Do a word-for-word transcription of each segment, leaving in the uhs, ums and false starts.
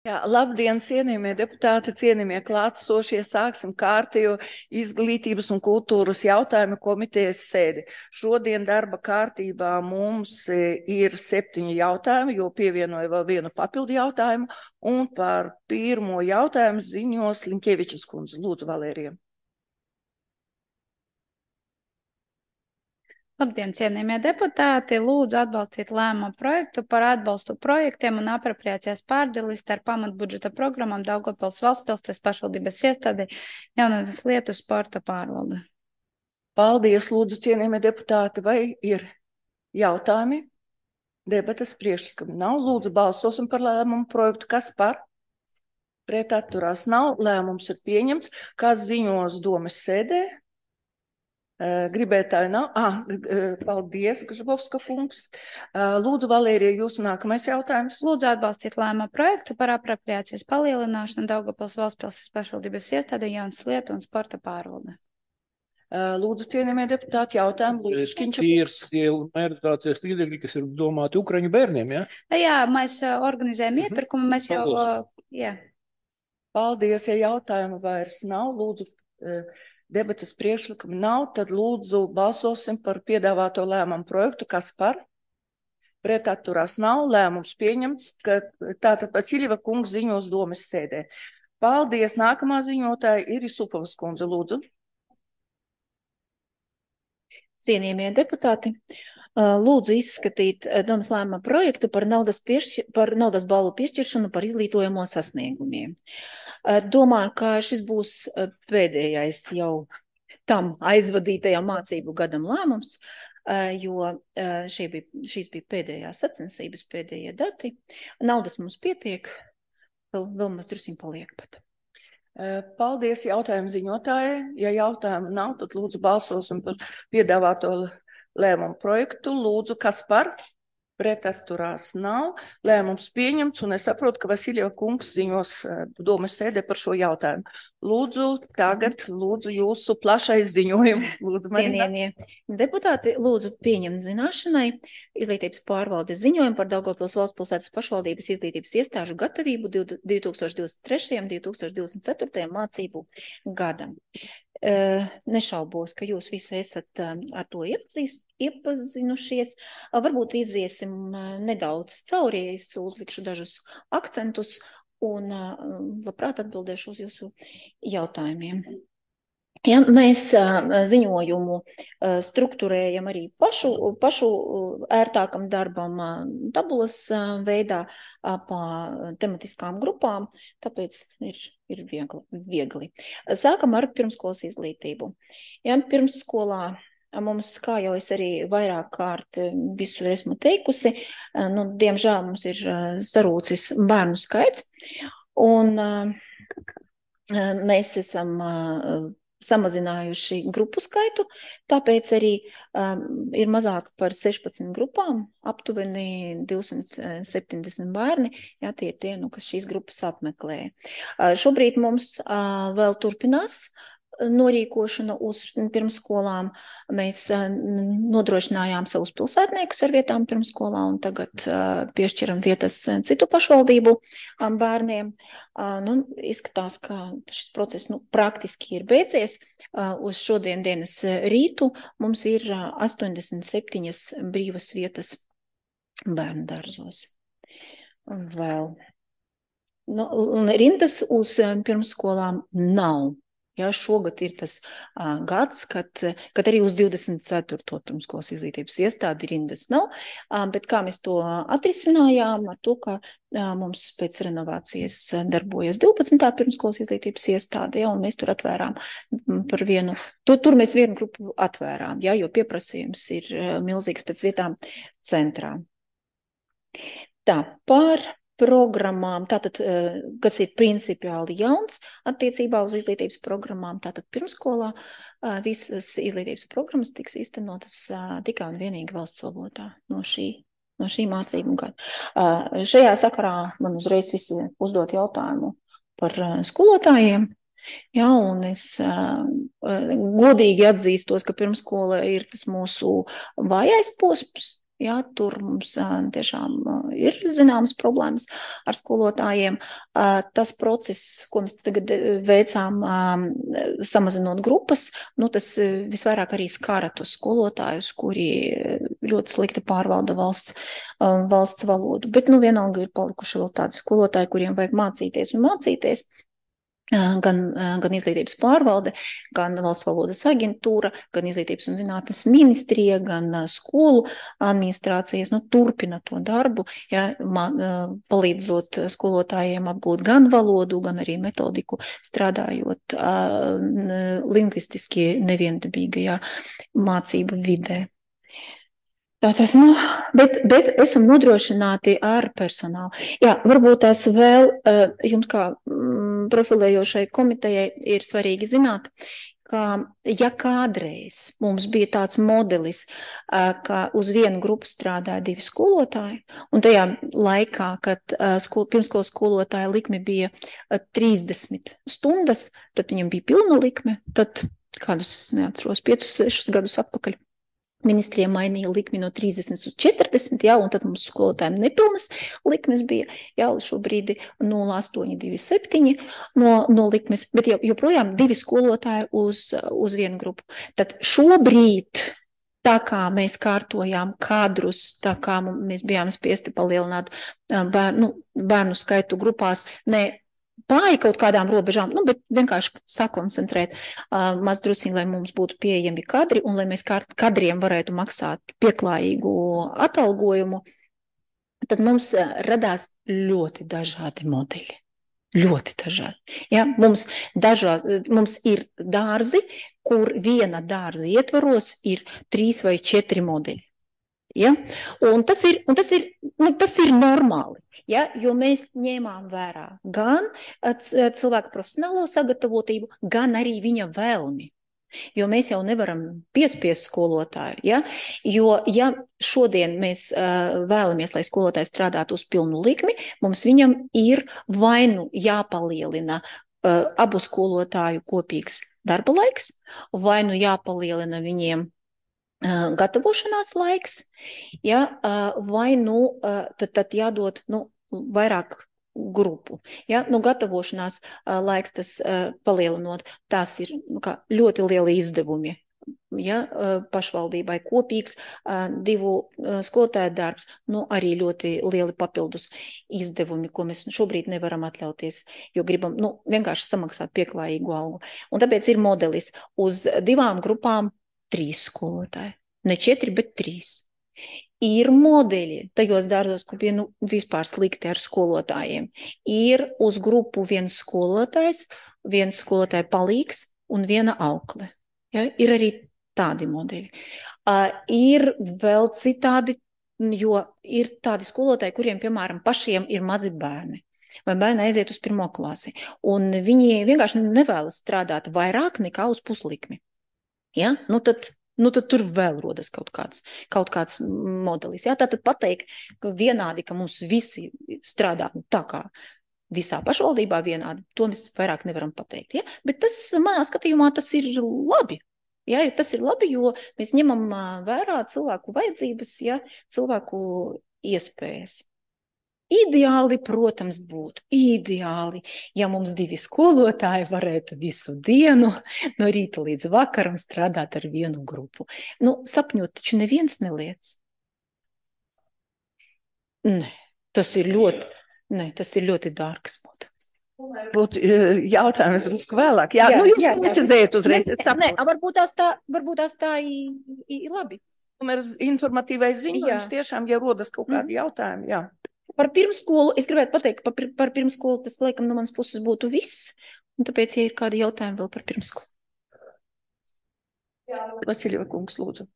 Jā, labdien, cienījamie deputāti, cienījamie klātsošie, sāksim kārtējo izglītības un kultūras jautājumu komitejas sēdi. Šodien darba kārtībā mums ir septiņi jautājumi, jo pievienoju vēl vienu papildu jautājumu, un par pirmo jautājumu ziņos Linkevičas kundze. Lūdzu, Valērija. Labdien, cienījamie deputāti! Lūdzu atbalstīt lēmumu projektu par atbalstu projektiem un apropriācijas pārdalis ar pamatbudžeta programmām Daugavpils valstspilsnes pašvaldības iestādi jaunatnes lietu sporta pārvalde. Paldies, lūdzu, cienījamie deputāti. Vai ir jautājumi? Debates priekšlikumi nav. Lūdzu, balsosim par lēmumu projektu. Kas par? Pret atturās nav. Lēmums ir pieņemts. Kas ziņos domas sēdē? Gribētāji nav. Ah, paldies, Gržbovska kungs. Lūdzu, Valērija, jūsu nākamais jautājums. Lūdzu atbalstīt lēmumu projektu par apropriācijas palielināšanu Daugavpils valstspilsnes pašvaldības iestāde jaunas lietu un sporta pārvalde. Lūdzu, cienījamie deputāti, jautājumu. Lūdzu, Škiņča. Ir mērķtācies līdzekļi, kas ir domāti Ukraiņu bērniem, jā? Jā, mēs organizējam iepirkumu, mēs jau, jā. Paldies, ja jautājumu vairs nav, lūdzu, debates priekšlikumi nav, tad lūdzu balsosim par piedāvāto lēmumu projektu. Kas par? Pret atturās nav. Lēmums pieņemts, ka tātad Vasiljeva kungs ziņos domas sēdē. Paldies. Nākamā ziņotāja ir Isupovas kundze. Lūdzu. Cienījamie deputāti, lūdzu izskatīt domas lēmuma projektu par naudas, piešķir, par naudas balvu piešķiršanu par izglītojamo sasniegumiem. Domāju, ka šis būs pēdējais jau tam aizvadītajam mācību gadam lēmums, jo šī bija, šīs bija pēdējās sacensības, pēdējie dati. Naudas mums pietiek, vēl, vēl mums drusiņ paliek pat. Paldies jautājumu ziņotājai. Ja jautājumu nav, tad lūdzu balsosim par piedāvāto lēmumu projektu. Lūdzu, kas par? Pret atturās nav. Lēmums pieņemts, un es saprotu, ka Vasiljeva kungs ziņos domas sēdē par šo jautājumu. Lūdzu, tagad lūdzu jūsu plašais ziņojums. Lūdzu, Marina. Cienījamie deputāti, lūdzu pieņemt zināšanai izglītības pārvaldes ziņojumu par Daugavpils valstspilsētas pašvaldības izglītības iestāžu gatavību divi tūkstoši divdesmit trešajam un divi tūkstoši divdesmit ceturtajam mācību gadam. Nešaubos, ka jūs visi esat ar to iepazīst, iepazinušies. Varbūt iziesim nedaudz cauri, es uzlikšu dažus akcentus un labprāt atbildēšu uz jūsu jautājumiem. Ja, mēs ziņojumu strukturējam arī pašu, pašu ērtākam darbam tabulas veidā pa tematiskām grupām, tāpēc ir, ir viegli, viegli. Sākam ar pirmskolas izglītību. Ja, pirmsskolā mums, kā jau es arī vairāk kārt visur esmu teikusi, nu, diemžēl mums ir sarūcis bērnu skaits, un mēs esam samazinājuši grupu skaitu, tāpēc arī um, ir mazāk par sešpadsmit grupām, aptuveni divsimt septiņdesmit bērni, jā, tie ir tie, nu, kas šīs grupas apmeklē. Uh, šobrīd mums uh, vēl turpinās norīkošana uz pirmsskolām. Mēs nodrošinājām savus pilsētniekus ar vietām pirmsskolā un tagad uh, piešķiram vietas citu pašvaldību um, bērniem. Uh, nu, izskatās, ka šis process nu, praktiski ir beidzies. Uh, uz šodien dienas rītu mums ir uh, astoņdesmit septiņas brīvas vietas bērnu dārzos. Un vēl. Nu, un rindas uz pirmsskolām nav. Jā, šogad ir tas uh, gads, kad, kad arī uz divdesmit ceturto pirmskolas izglītības iestādi rindas nav, uh, bet kā mēs to atrisinājām ar to, ka uh, mums pēc renovācijas darbojas divpadsmitā pirmskolas izglītības iestāde, ja, un mēs tur atvērām par vienu, tur, tur mēs vienu grupu atvērām, ja, jo pieprasījums ir uh, milzīgs pēc vietām centrā. Tā, par programmām, tātad, kas ir principiāli jauns attiecībā uz izglītības programmām, tātad pirmskolā visas izglītības programmas tiks īstenotas tikai un vienīgi valsts valodā no šī, no šī mācību gada. Šajā sakarā man uzreiz visi uzdot jautājumu par skolotājiem. Jā, un es uh, godīgi atzīstos, ka pirmskola ir tas mūsu vājais posms. Jā, tur mums tiešām ir zināmas problēmas ar skolotājiem. Tas process, ko mēs tagad veicām, samazinot grupas, nu, tas visvairāk arī skara tos skolotājus, kuri ļoti slikti pārvalda valsts, valsts valodu. Bet, nu, vienalga ir palikuši vēl tādi skolotāji, kuriem vajag mācīties un mācīties. Gan, gan izglītības pārvalde, gan valsts valodas aģentūra, gan izglītības un zinātnes ministrija, gan skolu administrācijas, nu, turpina to darbu, ja, man, palīdzot skolotājiem apgūt gan valodu, gan arī metodiku, strādājot uh, lingvistiski neviendabīgajā mācību vidē. Tātad, nu, bet, bet esam nodrošināti ar personālu. Jā, varbūt tās vēl jums kā mm, profilējošai komitejai ir svarīgi zināt, ka ja kādreiz mums bija tāds modelis, ka uz vienu grupu strādāja divi skolotāji, un tajā laikā, kad skol, pirmskolas skolotāja likme bija trīsdesmit stundas, tad viņam bija pilna likme, tad kādus, es neatceros, piecus, sešus gadus atpakaļ. Ministrija mainīja likmi no trīsdesmit uz četrdesmit, jā, un tad mums skolotājiem nepilnas likmes bija, jā, uz šo brīdi nulle astoņi divi septiņi no, no likmes, bet joprojām divi skolotāji uz, uz vienu grupu. Tad šobrīd, tā kā mēs kārtojām kadrus, tā kā mēs bijām spiesti palielināt bērnu, bērnu skaitu grupās, ne pāri kaut kādām robežām, nu, bet vienkārši sakoncentrēt uh, maz drusiņi, lai mums būtu pieejami kadri un lai mēs kadriem varētu maksāt pieklājīgu atalgojumu, tad mums uh, radās ļoti dažādi modeļi. Ļoti dažādi. Ja, mums, dažā, mums ir dārzi, kur viena dārza ietvaros ir trīs vai četri modeļi. Ja? Un tas ir, un tas ir, nu, tas ir normāli, ja? Jo mēs ņēmām vērā gan cilvēka profesionālo sagatavotību, gan arī viņa vēlmi. Jo mēs jau nevaram piespiest skolotāju, ja? Jo ja šodien mēs uh, vēlamies, lai skolotājs strādātu uz pilnu likmi, mums viņam ir vai nu jāpalielina uh, abu skolotāju kopīgs darba laiks, vai nu jāpalielina viņiem gatavošanās laiks, ja, vai nu tad, tad jādod nu, vairāk grupu. Ja, nu, gatavošanās laiks tas palielinot, tās ir nu, kā, ļoti lieli izdevumi. Ja, pašvaldībai kopīgs divu skolotāju darbs, nu, arī ļoti lieli papildus izdevumi, ko mēs šobrīd nevaram atļauties, jo gribam nu, vienkārši samaksāt pieklājīgu algu. Un tāpēc ir modelis uz divām grupām trīs skolotāji. Ne četri, bet trīs. Ir modeļi tajos dārzos, kur bija nu, vispār slikti ar skolotājiem. Ir uz grupu viens skolotājs, viens skolotāja palīgs un viena aukle. Ja? Ir arī tādi modeļi. Uh, ir vēl citādi, jo ir tādi skolotāji, kuriem, piemēram, pašiem ir mazi bērni. Vai bērni aiziet uz pirmo klasi. Un viņi vienkārši nevēlas strādāt vairāk nekā uz puslikmi. Ja? Nu, tad, nu, tad tur vēl rodas kaut kāds, kaut kāds modelis. Ja? Tātad pateikt, ka vienādi, ka mums visi strādā nu, tā kā visā pašvaldībā vienādi, to mēs vairāk nevaram pateikt. Ja? Bet tas, manā skatījumā, tas ir labi. Ja? Tas ir labi, jo mēs ņemam vērā cilvēku vajadzības, ja? Cilvēku iespējas. Ideāli, protams, būtu ideāli, ja mums divi skolotāji varētu visu dienu no rīta līdz vakaram strādāt ar vienu grupu. Nu, sapņot taču neviens neliec. Nē, tas ir ļoti, ne, tas ir ļoti dārgs modelis. Būtu jautājums drusku vēlāk. Jā, jā, nu jūs precizējat uzreiz. Ne, ne, varbūt tās tā, varbūt tās tā ir, ir labi. Tomēr informatīvais ziņojums tiešām, ja rodas kaut kādi mm. jautājumi, jā. Par pirmskolu, es gribētu pateikt, par, par pirmskolu tas, laikam, no manas puses būtu viss, un tāpēc, ja ir kādi jautājumi vēl par pirmskolu. Jā, Vasiļeva kungs, lūdzu.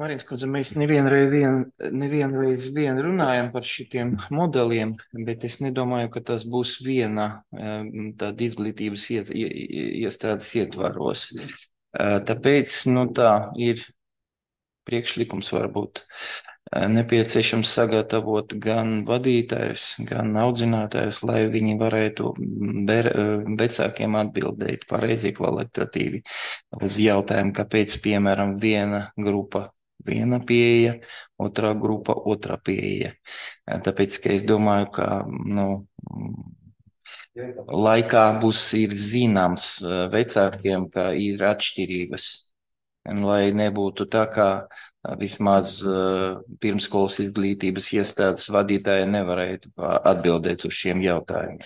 Marīnas kundze, mēs nevienreiz vien, nevienreiz vien runājam par šitiem modeliem, bet es nedomāju, ka tas būs viena tāda izglītības iet, iestādes ietvaros. Tāpēc, nu tā, ir priekšlikums varbūt. Nepieciešams sagatavot gan vadītājus, gan audzinātājus, lai viņi varētu ber, vecākiem atbildēt pareizi kvalitatīvi uz jautājumu, kāpēc, piemēram, viena grupa viena pieeja, otrā grupa otrā pieeja. Tāpēc, ka es domāju, ka nu, laikā būs ir zināms vecākiem, ka ir atšķirības. Un, lai nebūtu tā, ka vismaz uh, pirmskolas izglītības iestādes vadītāji nevarētu atbildēt uz šiem jautājumiem.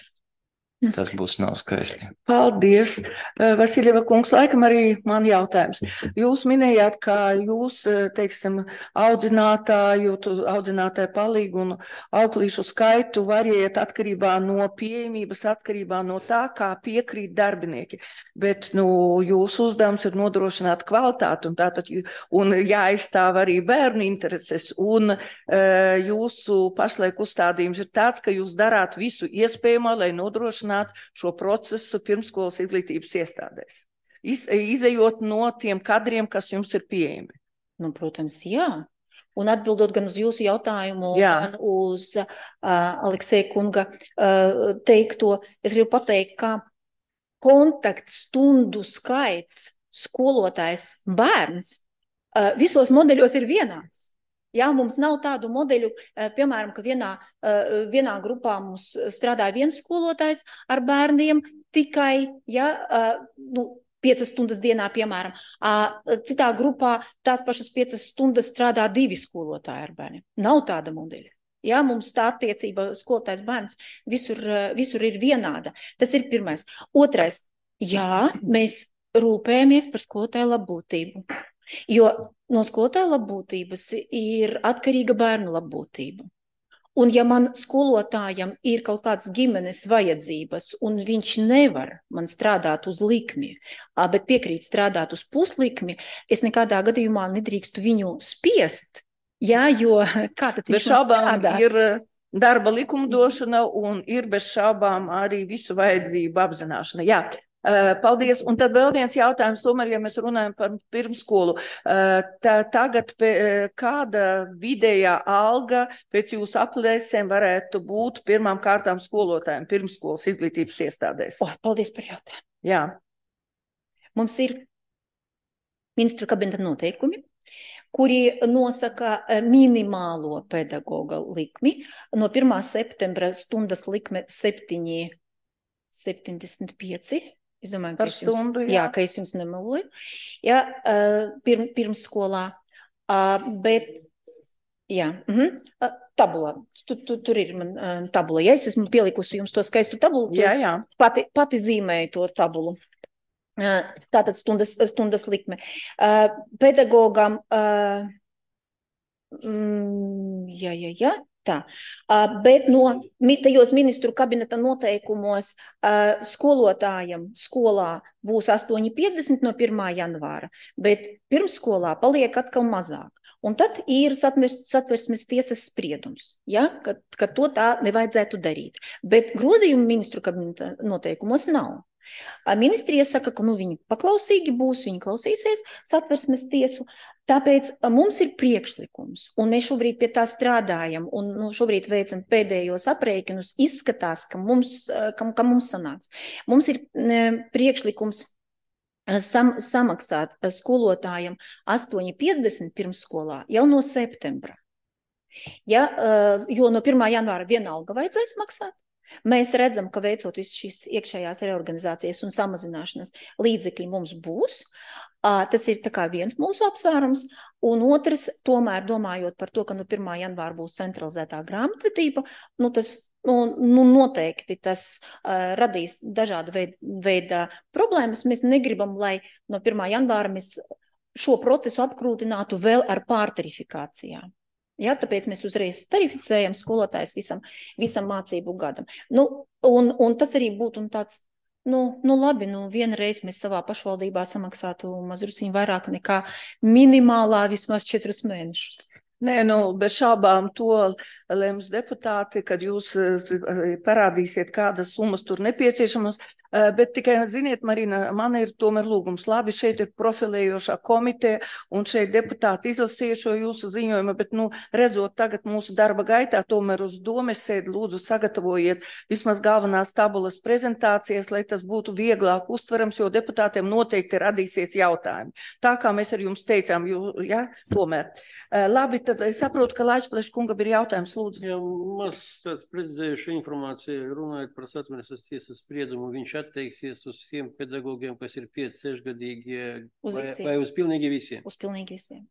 Tas būs nav skaisti. Paldies. Vasiljeva kungs, laikam arī man jautājums. Jūs minējāt, ka jūs, teiksim, audzinātāju, audzinātāju palīgu un auklīšu skaitu variet atkarībā no pieejamības, atkarībā no tā, kā piekrīt darbinieki. Bet, nu, jūsu uzdevums ir nodrošināt kvalitāti un tātad, un jāaizstāv arī bērnu intereses. Un jūsu pašlaik uzstādījums ir tāds, ka jūs darāt visu iespējamo, lai nodrošinātu šo procesu pirmskolas izglītības iestādēs, Iz, izejot no tiem kadriem, kas jums ir pieejami. Nu, protams, jā. Un atbildot gan uz jūsu jautājumu, jā. gan uz uh, Aleksēja kunga uh, teikto, es gribu pateikt, ka kontaktstundu skaits skolotājs bērns uh, visos modeļos ir vienāds. Jā, mums nav tādu modeļu, piemēram, ka vienā, vienā grupā mums strādāja viens skolotājs ar bērniem tikai, ja, nu, piecas stundas dienā, piemēram. Citā grupā tās pašas piecas stundas strādā divi skolotāji ar bērniem. Nav tāda modeļa. Jā, mums tā attiecība skolotājs bērns visur, visur ir vienāda. Tas ir pirmais. Otrais, jā, mēs rūpējamies par skolotāju labbūtību. Jo no skolotāja labbūtības ir atkarīga bērnu labbūtība. Un ja man skolotājam ir kaut kādas ģimenes vajadzības, un viņš nevar man strādāt uz likmi, bet piekrīt strādāt uz puslikmi, es nekādā gadījumā nedrīkstu viņu spiest, jā, jo kā tad viņš man strādās? Ir darba likumdošana un ir bez šaubām arī visu vajadzību apzināšana. Jā. Paldies. Un tad vēl viens jautājums, tomēr, ja mēs runājam par pirmskolu. Tā, tagad pē, kāda vidējā alga pēc jūsu aplēsēm varētu būt pirmām kārtām skolotājiem pirmskolas izglītības iestādēs? Oh, paldies par jautājumu. Jā. Mums ir ministru kabineta noteikumi, kuri nosaka minimālo pedagoga likmi. No pirmā septembra stundas likme septiņi septiņdesmit pieci. Es domāju, ka, stundu, jums, jā. Jā, ka es jums nemeloju. Jā, pirm, pirmskolā. Bet, jā, uh-huh. tabulā. Tu, tu, tur ir man tabula. Ja es esmu pielikusi jums to skaistu tabulu, jā, jā. Pati, pati zīmēju to tabulu. Tātad stundas, stundas likme. Pedagogam, mm, jā, jā, jā. Tā, uh, bet no tajos ministru kabineta noteikumos uh, skolotājam skolā būs astoņi piecdesmit no pirmā janvāra, bet pirmsskolā paliek atkal mazāk. Un tad ir satvers, satversmes tiesas spriedums, ja, ka, ka to tā nevajadzētu darīt. Bet grozījumu ministru kabineta noteikumos nav. Ministrija saka, ka nu, viņi paklausīgi būs, viņi klausīsies satversmes tiesu, tāpēc mums ir priekšlikums, un mēs šobrīd pie tā strādājam, un nu, šobrīd veicam pēdējos aprēķinus, izskatās, ka mums, ka, ka mums sanāks. Mums ir priekšlikums sam, samaksāt skolotājiem astoņi piecdesmit pirmsskolā jau no septembra. Ja, jo no pirmā janvāra vienalga vajadzēs maksāt. Mēs redzam, ka veicot visu šīs iekšējās reorganizācijas un samazināšanas līdzekļi mums būs. Tas ir tā kā viens mūsu apsvērums. Un otrs, tomēr domājot par to, ka no pirmā janvāra būs centralizētā grāmatvedība, nu tas nu, nu noteikti tas uh, radīs dažāda veida, veida problēmas. Mēs negribam, lai no pirmā janvāra mēs šo procesu apkrūtinātu vēl ar pārtarifikācijām. Ja, tāpēc mēs uzreiz tarificējam skolotājs visam, visam mācību gadam. Nu, un, un tas arī būtu un tāds, nu, nu labi, nu vienreiz mēs savā pašvaldībā samaksātu mazrusiņu vairāk nekā minimālā vismaz četrus mēnešus. Nē, nu, bez šābām to lems deputāti, kad jūs parādīsiet, kādas summas tur nepieciešamas. Bet tikai, ziniet, Marina, man ir tomēr lūgums. Labi, šeit ir profilējošā komiteja, un šeit deputāti izlasīja šo jūsu ziņojumu, bet, nu, redzot tagad mūsu darba gaitā, tomēr uz domes sēdi lūdzu sagatavojiet vismaz galvenās tabulas prezentācijas, lai tas būtu vieglāk uztverams, jo deputātiem noteikti radīsies jautājumi. Tā kā mēs ar jums teicām, jū, ja, tomēr. Labi, tad es saprotu, ka Laišplēša kungam ir jautājums, lūdzu. Jā, maz tāds precizējuši informāciju, runājot par Satversmes tiesas spriedumu, viņš atteiksies uz tiem pedagogiem, kas ir pieci sešgadīgie, vai, vai uz pilnīgi visiem? Uz pilnīgi visiem.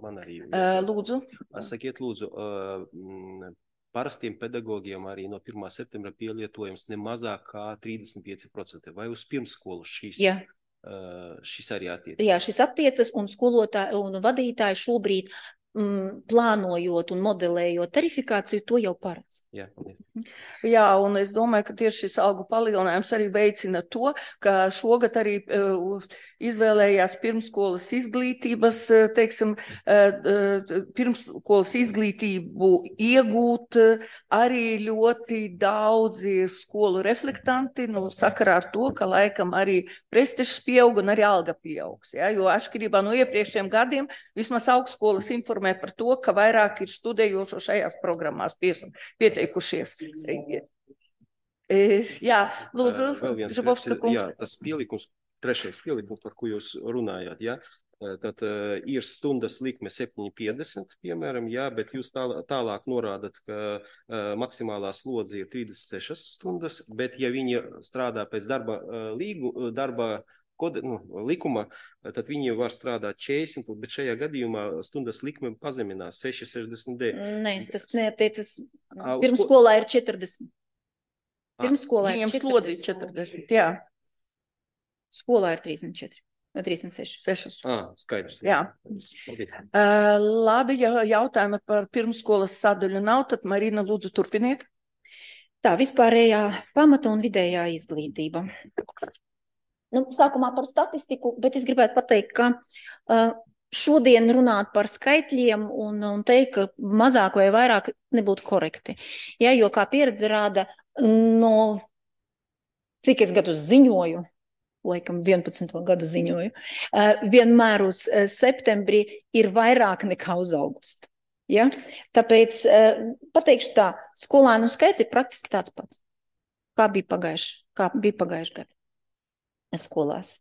Man arī. Uh, lūdzu. Sakiet, lūdzu, uh, parastiem pedagogiem arī no pirmā septembra pielietojums ne mazāk kā trīsdesmit pieci procenti, vai uz pirmsskolu šīs? Jā. Uh, šis arī attiecas. Jā, šis attiecas, un skolotāji un vadītāji šobrīd mm, plānojot un modelējot tarifikāciju, to jau paredz. Jā, Jā, un es domāju, ka tieši šis algu palielinājums arī veicina to, ka šogad arī uh, izvēlējās pirmskolas izglītības, teiksim, uh, pirmskolas izglītību iegūt uh, arī ļoti daudzi skolu reflektanti, nu, sakarā ar to, ka laikam arī prestižs pieaug un arī alga pieaugs, ja, jo atšķirībā no iepriekšējiem gadiem vismaz augstskolas informē par to, ka vairāk ir studējošo šajās programmās pieteikušies. Jā, lūdzu, Žabovska kungs. Jā, tas pielikums, trešais pielikums, par ko jūs runājāt, jā, tad uh, ir stundas likme septiņi piecdesmit, piemēram, jā, bet jūs tāl, tālāk norādat, ka uh, maksimālā slodze ir trīsdesmit sešas stundas, bet ja viņi strādā pēc darba uh, līgu, darba kode, nu, likuma, tad viņi var strādāt četrdesmit, bet šajā gadījumā stundas likme pazeminās seši sešdesmit deviņi. Nē, tas neatiecas. Pirmskolā ir četrdesmit. Pirmskolā ir četrdesmit. Slodzi četrdesmit, jā. Skolā ir trīsdesmit četri. trīsdesmit seši. Sešas. Ah, skaidrs. Jā. Okay. Uh, labi, ja jautājumi par pirmsskolas sadaļu nav, tad Marina, lūdzu, turpiniet. Tā, vispārējā pamata un vidējā izglītība. Nu, sākumā par statistiku, bet es gribētu pateikt, ka uh, šodien runāt par skaitļiem un, un teikt, ka mazāk vai vairāk nebūtu korekti. Ja, jo kā pieredze rāda, no cik es gadus ziņoju, laikam vienpadsmito gadu ziņoju, uh, vienmēr uz uh, septembrī ir vairāk nekā uz augustu. Ja? Tāpēc uh, pateikšu tā, skolēnu skaits ir praktiski tāds pats, kā bija pagājuši, kā bija pagājuši gadu skolās.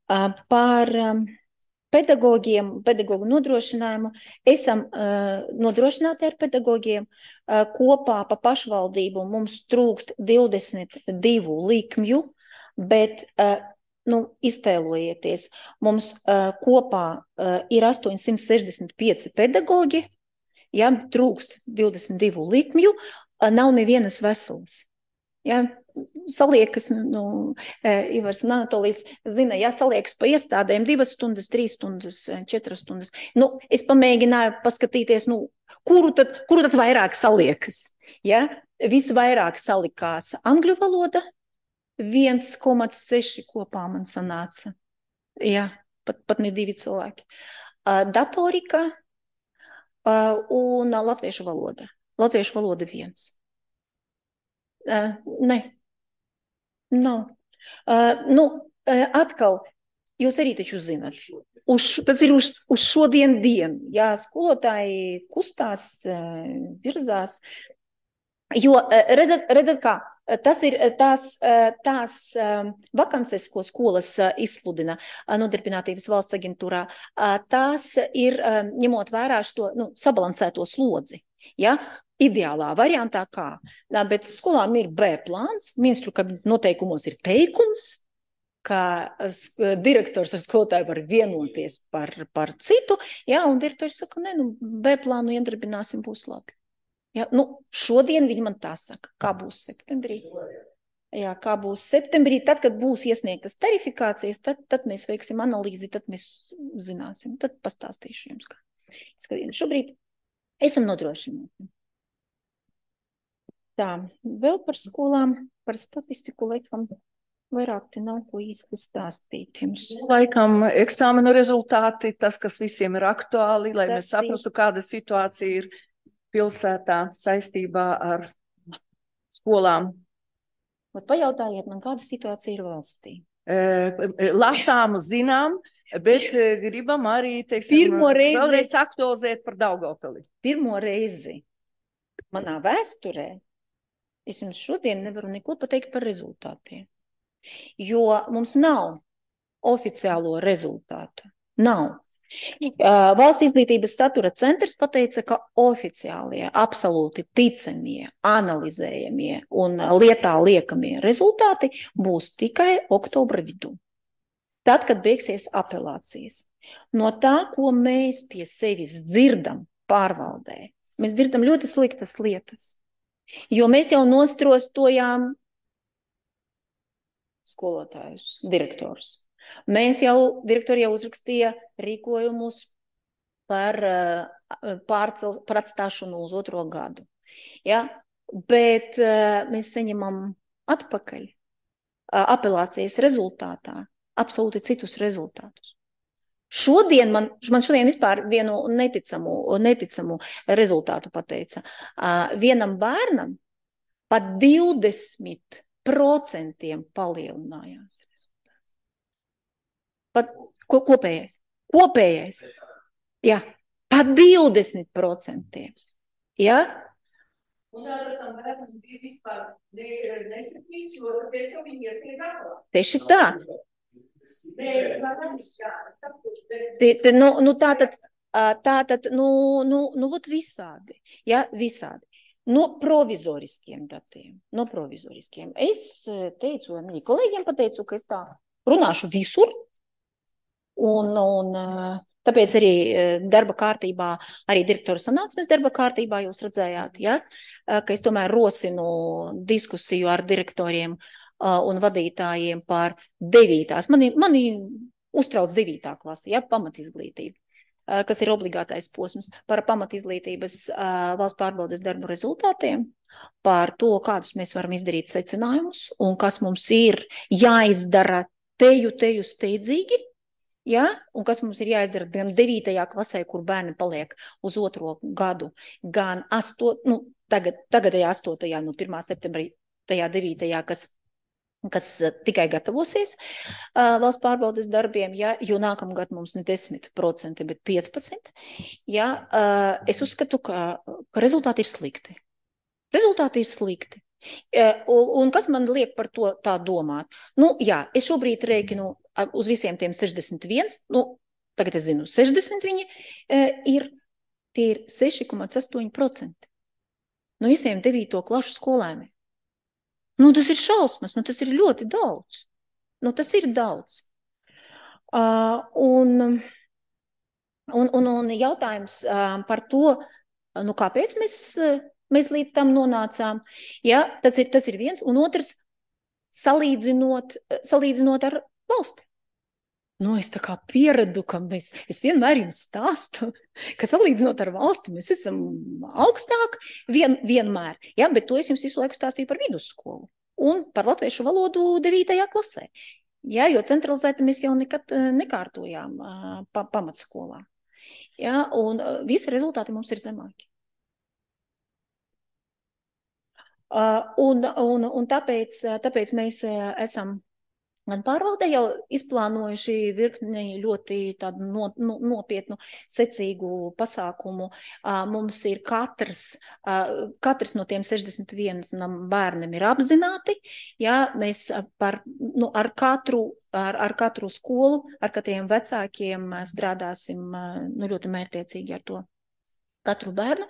Uh, par um, pedagogiem, pedagogu nodrošinājumu esam uh, nodrošināti ar pedagogiem. Uh, kopā pa pašvaldību mums trūkst divdesmit divu likmju, bet uh, nu, iztēlojieties, mums uh, kopā uh, ir astoņsimt sešdesmit pieci pedagogi, ja, trūkst divdesmit divu likmju, uh, nav nevienas veselas. Ja, saliekas, nu, Ivars un Anatolijas zina, ja saliekas pa iestādēm divas stundas, trīs stundas, četras stundas. Nu, es pamēģināju paskatīties, nu, kuru tad, kuru tad vairāk saliekas. Ja? Visvairāk salikās angļu valoda, viens komats seši kopā man sanāca. Ja, pat, pat ne divi cilvēki. Uh, datorika uh, un latviešu valoda. Latviešu valoda viens. Uh, ne. Nav. Uh, nu, uh, atkal, jūs arī taču zināt, uz, tas ir uz, uz šodien dienu, jā, skolotāji kustās, uh, virzās, jo uh, redzat, redzat kā, tas ir tās, uh, tās uh, vakances, ko skolas uh, izsludina uh, Nodarbinātības valsts aģentūrā, uh, tās ir, uh, ņemot vērā šo, nu, sabalansēto slodzi, jā, ideālā variantā kā, bet skolām ir B plāns, ministru kabinetu noteikumos ir teikums, ka direktors ar skolotāju var vienoties par, par citu, jā, un direktors saka, ne, nu, B plānu iedarbināsim, būs labi. Jā, nu, šodien viņi man tā saka, kā būs septembrī. Jā, kā būs septembrī, tad, kad būs iesniegtas tarifikācijas, tad, tad mēs veiksim analīzi, tad mēs zināsim, tad pastāstīšu jums, kā. Šobrīd esam nodrošināti. Tā, vēl par skolām, par statistiku laikam vairāk te nav ko īsti stāstīt jums. Laikam eksāmenu rezultāti, tas, kas visiem ir aktuāli, lai tas mēs saprastu, kāda situācija ir pilsētā saistībā ar skolām. Bet pajautājiet man, kāda situācija ir valstī? Lasām, zinām, bet gribam arī, teiksim, Pirmo reizi- vēlreiz aktualizēt par Daugavpili. Pirmo reizi manā vēsturē es jums šodien nevaru neko pateikt par rezultātiem, jo mums nav oficiālo rezultātu. Nav. Uh, Valsts izglītības satura centrs pateica, ka oficiālie, absolūti ticamie, analizējamie un lietā liekamie rezultāti būs tikai oktobra vidū. Tad, kad beigsies apelācijas. No tā, ko mēs pie sevis dzirdam pārvaldē, mēs dzirdam ļoti sliktas lietas, jo mēs jau nostrostojām skolotājus, direktorus. Mēs jau, direktori jau uzrakstīja rīkojumus par, pārcel, par atstāšanu uz otro gadu. Ja? Bet mēs saņemam atpakaļ apelācijas rezultātā absolūti citus rezultātus. Šodien man, man šodien vispār vienu neticamu, neticamu rezultātu pateica. Vienam bērnam pat divdesmit procentiem palielinājās. Pat ko, kopējais. Kopējais. Jā, pat divdesmit procentiem. Jā? Un tātad tam bērnam bija vispār nesapīts, jo tāpēc jau viņi iesniedz apelā. Tieši tā. Te, te, nu, nu tātad, tātad, nu, nu, nu, vot visādi. Jā, visādi. No provizoriskiem datiem. No provizoriskiem. Es teicu, arī kolēģiem pateicu, ka es tā runāšu visur. Un, un tāpēc arī darba kārtībā, arī direktora sanāksmes darba kārtībā jūs redzējāt, ja, ka es tomēr rosinu diskusiju ar direktoriem un vadītājiem par devītās. Mani, mani uztrauc devītā klase, ja, pamatizglītība, kas ir obligātais posms, par pamatizglītības valsts pārbaudes darbu rezultātiem, par to, kādus mēs varam izdarīt secinājumus un kas mums ir jāizdara teju, teju steidzīgi. Ja? Un kas mums ir jāizdara gan devītajā klasē, kur bērni paliek uz otro gadu, gan astot, nu, tagad, tagadējā astotajā, no pirmā septembrī, tajā devītajā, kas, kas tikai gatavosies uh, valsts pārbaudes darbiem, ja? Jo nākamgad mums ne desmit procenti, bet piecpadsmit procenti. Ja? Uh, es uzskatu, ka, ka rezultāti ir slikti. Rezultāti ir slikti. Un, un kas man liek par to tā domāt? Nu, jā, es šobrīd rēķinu uz visiem tiem sešdesmit viens, nu, tagad es zinu, sešdesmit viņi ir, tie ir seši komats astoņi procenti no visiem devīto klašu skolēniem. Nu, tas ir šausmas, nu, tas ir ļoti daudz. Nu, tas ir daudz. Uh, un, un, un, un jautājums uh, par to, nu, kāpēc mēs... Uh, Mēs līdz tam nonācām. Ja, tas ir, tas ir viens. Un otrs, salīdzinot, salīdzinot ar valsti. Nu, es tā kā pieredu, ka mēs, es vienmēr jums stāstu, ka salīdzinot ar valsti mēs esam augstāk vien, vienmēr. Ja, bet to es jums visu laiku stāstīju par vidusskolu un par latviešu valodu devītajā klasē. Ja, jo centralizēti mēs jau nekad nekārtojām pa, pamatskolā. Ja, un visi rezultāti mums ir zemāki. Uh, un, un, un tāpēc, tāpēc mēs uh, esam gan pārvaldē jau izplānojuši virkni ļoti tādu no, no, nopietnu, secīgu pasākumu. Uh, mums ir katrs, uh, katrs no tiem sešdesmit vienam bērnam ir apzināti. Ja, mēs par, nu, ar, katru, ar, ar katru skolu, ar katriem vecākiem strādāsim uh, nu, ļoti mērķtiecīgi ar to. Katru bērnu,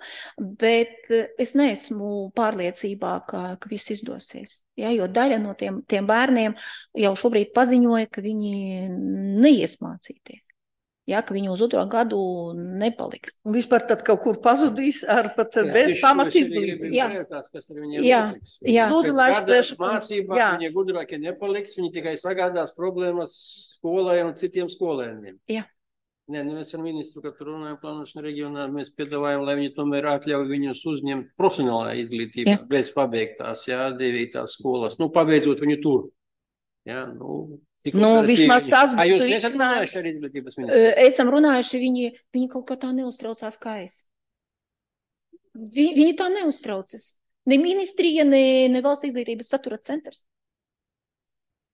bet es neesmu pārliecībā, ka, ka viss izdosies. Ja, jo daļa no tiem, tiem bērniem jau šobrīd paziņoja, ka viņi neies mācīties. Ja, ka viņi uz otro gadu nepaliks. Un vispār tad kaut kur pazudīs ar pat jā, bez pamatizglītības. Jā, kas ar viņiem jā, notiks. Jā. Lūdzu, lai es mācībā viņi gudrākie nepaliks, viņi tikai sagādās problēmas skolai un citiem skolēniem. Jā. Nē, nu mēs ar ministru, kad runājam plānošanu reģionā, mēs piedāvājam, lai viņi tomēr atļauj viņus uzņemt profesionālā izglītībā, jā. Bez pabeigtās, jā, devītās skolas, nu, pabeidzot viņu tur. Jā, nu, nu vismaz tās būtu. Jūs nesat runājuši ar izglītības ministru? Esam runājuši, viņi, viņi kaut kā tā neuztraucās kā es. Vi, viņi tā neuztraucas. Ne ministrija, ne, ne valsts izglītības satura centrs.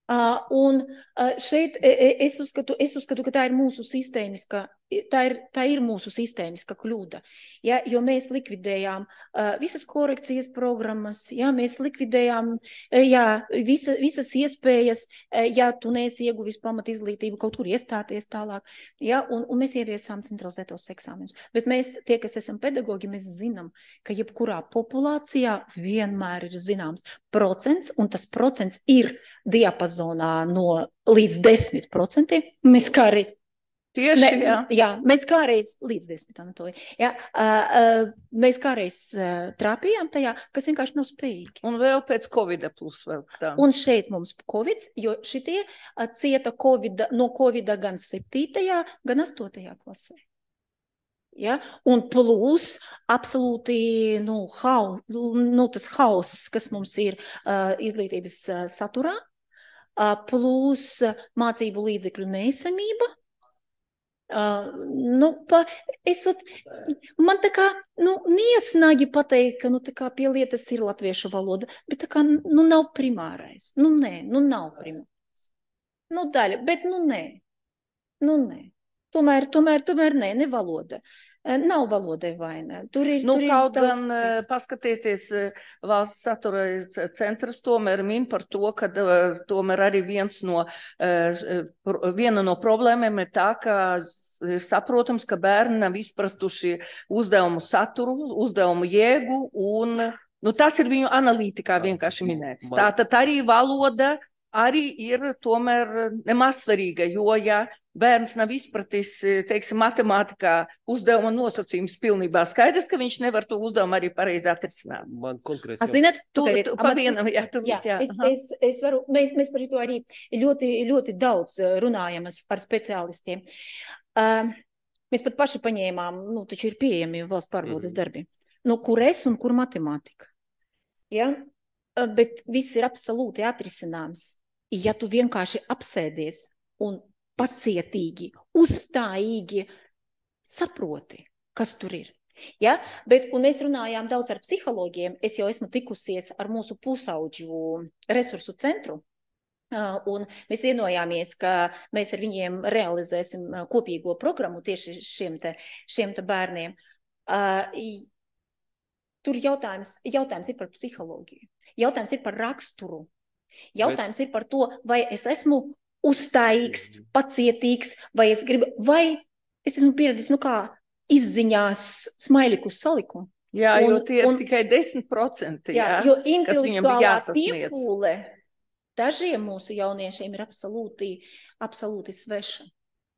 Uh, un uh, šeit es uzskatu, es uzskatu, ka tā ir mūsu sistēmiska, tā ir, tā ir mūsu sistēmiska kļūda. Ja, jo mēs likvidējām uh, visas korekcijas programmas, ja, mēs likvidējām uh, ja, visa, visas iespējas, uh, ja tu neesi ieguvis pamat izglītību, kaut kur iestāties tālāk, ja, un, un mēs ieviesām centralizētos eksāmenus. Bet mēs, tie, kas esam pedagogi, mēs zinām, ka jebkurā populācijā vienmēr ir zināms procents, un tas procents ir diapazonā no līdz desmit procentiem. Mēs kādreiz, Tieši, ne, jā. jā, mēs kādreiz līdz desmit, Anatolija, jā, uh, uh, mēs kādreiz uh, trāpījām tajā, kas vienkārši nav spējīgi. Un vēl pēc Covida plus vēl tā. Un šeit mums Covids, jo šitie uh, cieta COVID, no Covida gan septītajā, gan astotajā klasē. Ja? Un plus absolūti nu, hau, nu, tas hauss, kas mums ir uh, izglītības uh, saturā, uh, plus uh, mācību līdzekļu neesamība. Uh, nu, pa, es, ot, man tā kā nu, niesnagi pateikt, ka nu, tā kā pie lietas ir latviešu valoda, bet tā kā nu, nav primārais. Nu, nē, nu, nav primārais. Nu, daļa, bet nu, nē. Nu, nē. Tomēr, tomēr, tomēr nē, ne valoda. Nav valodai vaina. Tur ir, nu, tur kaut ir gan daudz... paskatieties, valsts satura centrs tomēr min par to, ka tomēr arī viens no, viena no problēmiem ir tā, ka ir saprotams, ka bērni nav izpratuši uzdevumu saturu, uzdevumu jēgu, un nu, tas ir viņu analītikā vienkārši minēts. Tātad arī valoda arī ir tomēr nemaz svarīga, jo, ja bērns nav izpratis, teiksim, matemātikā uzdevuma nosacījums pilnībā skaidrs, ka viņš nevar to uzdevumu arī pareizi atrisināt. Man konkrēts jau... Zināt, tu, tu, tu, pa vienam, jā, tu, jā, jā. Es, es, es varu, mēs, mēs par to arī ļoti, ļoti daudz runājam ar speciālistiem. Uh, mēs pat paši paņēmām, nu, taču ir pieejami valsts pārbaudes mm. darbi. Nu, kur es un kur matemātika. Ja? Uh, bet viss ir absolūti atrisināms. Ja tu vienkārši apsēdies un pacietīgi, uzstājīgi saproti, kas tur ir. Ja? Bet, un mēs runājām daudz ar psihologiem, es jau esmu tikusies ar mūsu pusauģu resursu centru, uh, un mēs vienojāmies, ka mēs ar viņiem realizēsim kopīgo programmu tieši šiem te, šiem te bērniem. Uh, tur jautājums, jautājums ir par psiholoģiju, jautājums ir par raksturu. Jautājums Bet... ir par to, vai es esmu uzstājīgs, pacietīgs, vai es gribu, vai es esmu pieredzis, nu kā, izziņās smaiļiku saliku. Jā, un, jo tie ir un, tikai desmit procenti, jā, jā, jo kas viņam bija jāsasniedz. Piepūle dažiem mūsu jauniešiem ir absolūti, absolūti sveša.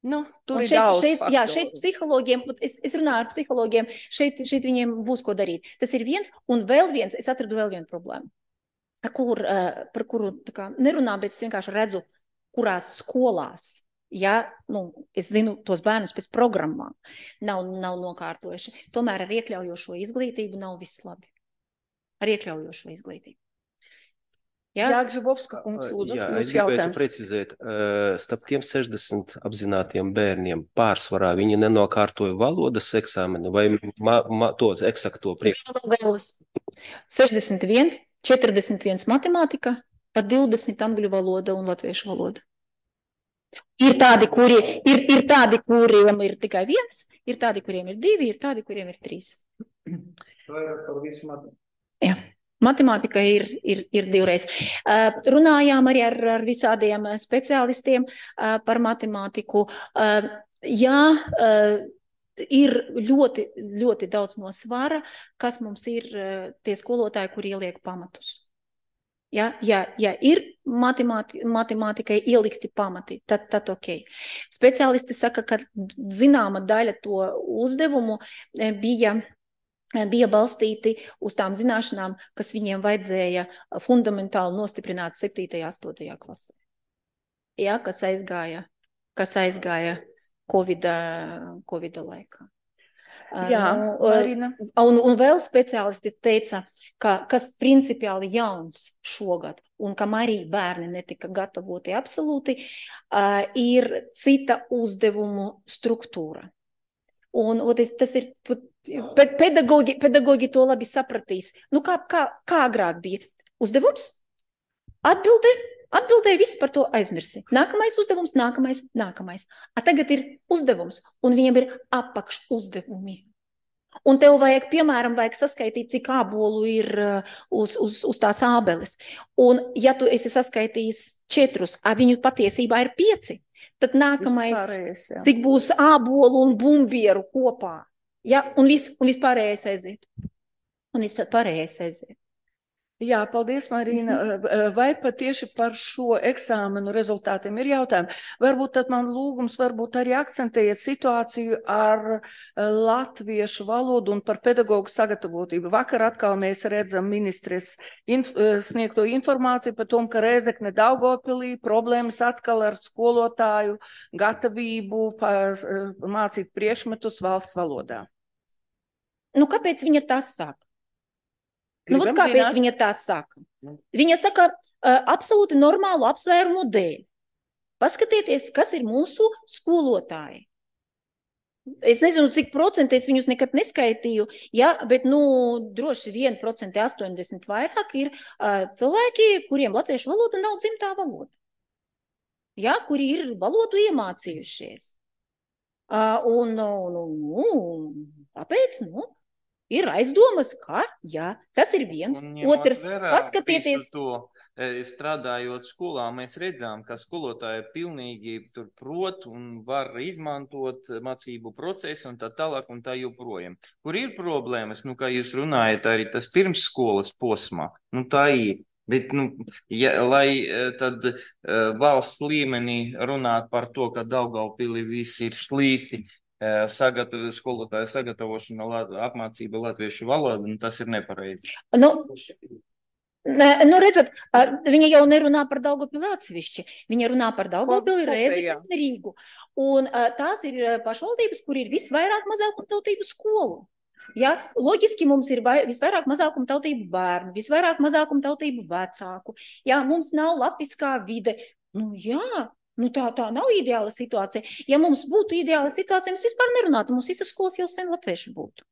Nu, tur un ir šeit, daudz šeit, faktoru. Jā, šeit psihologiem, es, es runāju ar psihologiem, šeit, šeit viņiem būs ko darīt. Tas ir viens, un vēl viens, es atradu vēl vienu problēmu. Kur, par kuru tā kā, nerunā, bet es vienkārši redzu, kurās skolās, ja, nu, es zinu tos bērnus pēc programmām, nav, nav nokārtojuši. Tomēr ar iekļaujošo izglītību nav viss labi. Ar iekļaujošo izglītību. Ja? Jā, Gžibovska kungs, lūdzu, Jā, jūs es gribētu jautājums. precizēt, starp tiem sešdesmit apzinātiem bērniem pārsvarā viņi nenokārtoja valodas eksāmenu vai ma, ma, to eksakto priekšnieku? sešdesmit viens, četrdesmit viens matemātika, pa divdesmit angļu valoda un latviešu valoda. Ir tādi, kuri, ir, ir tādi, kuriem ir tikai viens, ir tādi, kuriem ir divi, ir tādi, kuriem ir trīs. Jā. Matemātika ir, ir, ir divreiz. Uh, runājām arī ar, ar visādiem speciālistiem uh, par matemātiku. Uh, jā, uh, ir ļoti, ļoti daudz no svara, kas mums ir uh, tie skolotāji, kur ieliek pamatus. Ja, ja, ja ir matemāti, matemātikai ielikti pamati, tad, tad ok. Speciālisti saka, ka zināma daļa to uzdevumu bija, bija balstīti uz tām zināšanām, kas viņiem vajadzēja fundamentāli nostiprināt septītajā, astotajā klasē. Ja, kas aizgāja, kas aizgāja Covida, Covida laikā. Jā, Marina. Un, un vēl speciālisti teica, ka kas principiāli jauns šogad, un kam arī bērni netika gatavoti absolūti, uh, ir cita uzdevumu struktūra. Un, un tas, tas ir, Bet pedagogi, pedagogi to labi sapratīs. Nu, kā, kā, kā agrāk bija? Uzdevums? Atbildē? Atbildēja, viss par to aizmirsi. Nākamais uzdevums, nākamais, nākamais. A tagad ir uzdevums, un viņam ir apakš uzdevumi. Un tev vajag, piemēram, vajag saskaitīt, cik ābolu ir uz, uz, uz tās ābeles. Un ja tu esi saskaitījis četrus, a viņu patiesībā ir pieci, tad nākamais, pārējais, cik būs ābolu un bumbieru kopā. Ja? Un, vis, un vispārējais aiziet. Un vispārējais aiziet. Jā, paldies, Marīna. Vai pat tieši par šo eksāmenu rezultātiem ir jautājumi? Varbūt tad man lūgums, varbūt arī akcentējiet situāciju ar latviešu valodu un par pedagogu sagatavotību. Vakar atkal mēs redzam ministres inf sniegto informāciju par tom, ka Rēzekne Daugavpilī problēmas atkal ar skolotāju gatavību mācīt priekšmetus valsts valodā. Nu, kāpēc viņa tas saka? Nu, vat kāpēc zināt? Viņa tā saka? Viņa saka uh, absolūti normālu apsvērumu dēļ. Paskatieties, kas ir mūsu skolotāji. Es nezinu, cik procenti es viņus nekad neskaitīju, ja, bet, nu, droši vien procenti astoņdesmit vairāk ir uh, cilvēki, kuriem latviešu valoda nav dzimtā valoda. Ja, kuri ir valodu iemācījušies. Uh, un, nu, nu, tāpēc, nu, ir aizdomas, ka, jā, tas ir viens. Otrs, paskatieties. To, strādājot skolā, mēs redzām, ka skolotāji pilnīgi tur prot un var izmantot mācību procesu un tā tālāk un tā joprojām. Kur ir problēmas, nu, kā jūs runājat, arī tas pirms skolas posmā, nu, tā ir. Bet, nu, ja, lai tad uh, valsts līmenī runāt par to, ka Daugavpilī viss ir slikti, Sagatavo, skolotāja sagatavošana, apmācība latviešu valodu, un tas ir nepareizi. Nu, nu, redzat, viņa jau nerunā par Daugavpili atsevišķi. Viņa runā par Daugavpili, Rēzekni un Rīgu. Un tās ir pašvaldības, kur ir visvairāk mazākumtautību skolu. Ja? Loģiski mums ir visvairāk mazākumtautību bērnu, visvairāk mazākumtautību vecāku. Ja? Mums nav latviskā vide. Nu, jā. Nu, tā, tā nav ideāla situācija. Ja mums būtu ideāla situācija, mēs vispār nerunātu. Mums visas skolas jau sen latviešu būtu.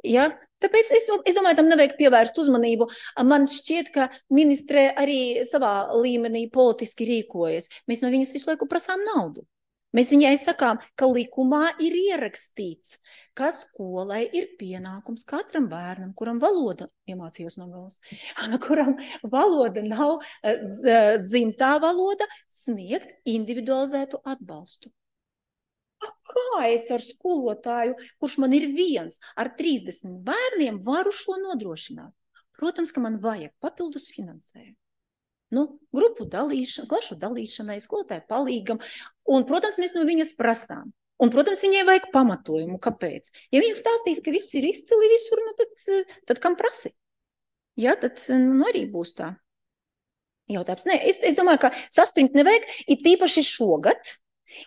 Ja? Tāpēc es, es domāju, tam nevajag pievērst uzmanību. Man šķiet, ka ministre arī savā līmenī politiski rīkojas. Mēs no viņas visu laiku prasām naudu. Mēs viņai sakām, ka likumā ir ierakstīts, ka skolai ir pienākums katram bērnam, kuram valoda, iemācījos no galas, kuram valoda nav dzimtā valoda, sniegt individualizētu atbalstu. Kā es ar skolotāju, kurš man ir viens, ar trīsdesmit bērniem varu šo nodrošināt? Protams, ka man vajag papildus finansējumu. Nu, grupu dalīšana, klašu dalīšanai, skolotāju palīgam, un, protams, mēs no viņas prasām. Un, protams, viņai vajag pamatojumu, kāpēc. Ja viņa stāstīs, ka viss ir izcili visur, nu, tad, tad kam prasi? Jā, tad, nu, arī būs tā jautājums. Nē, es, es domāju, ka saspringt nevajag, ir tīpaši šogad,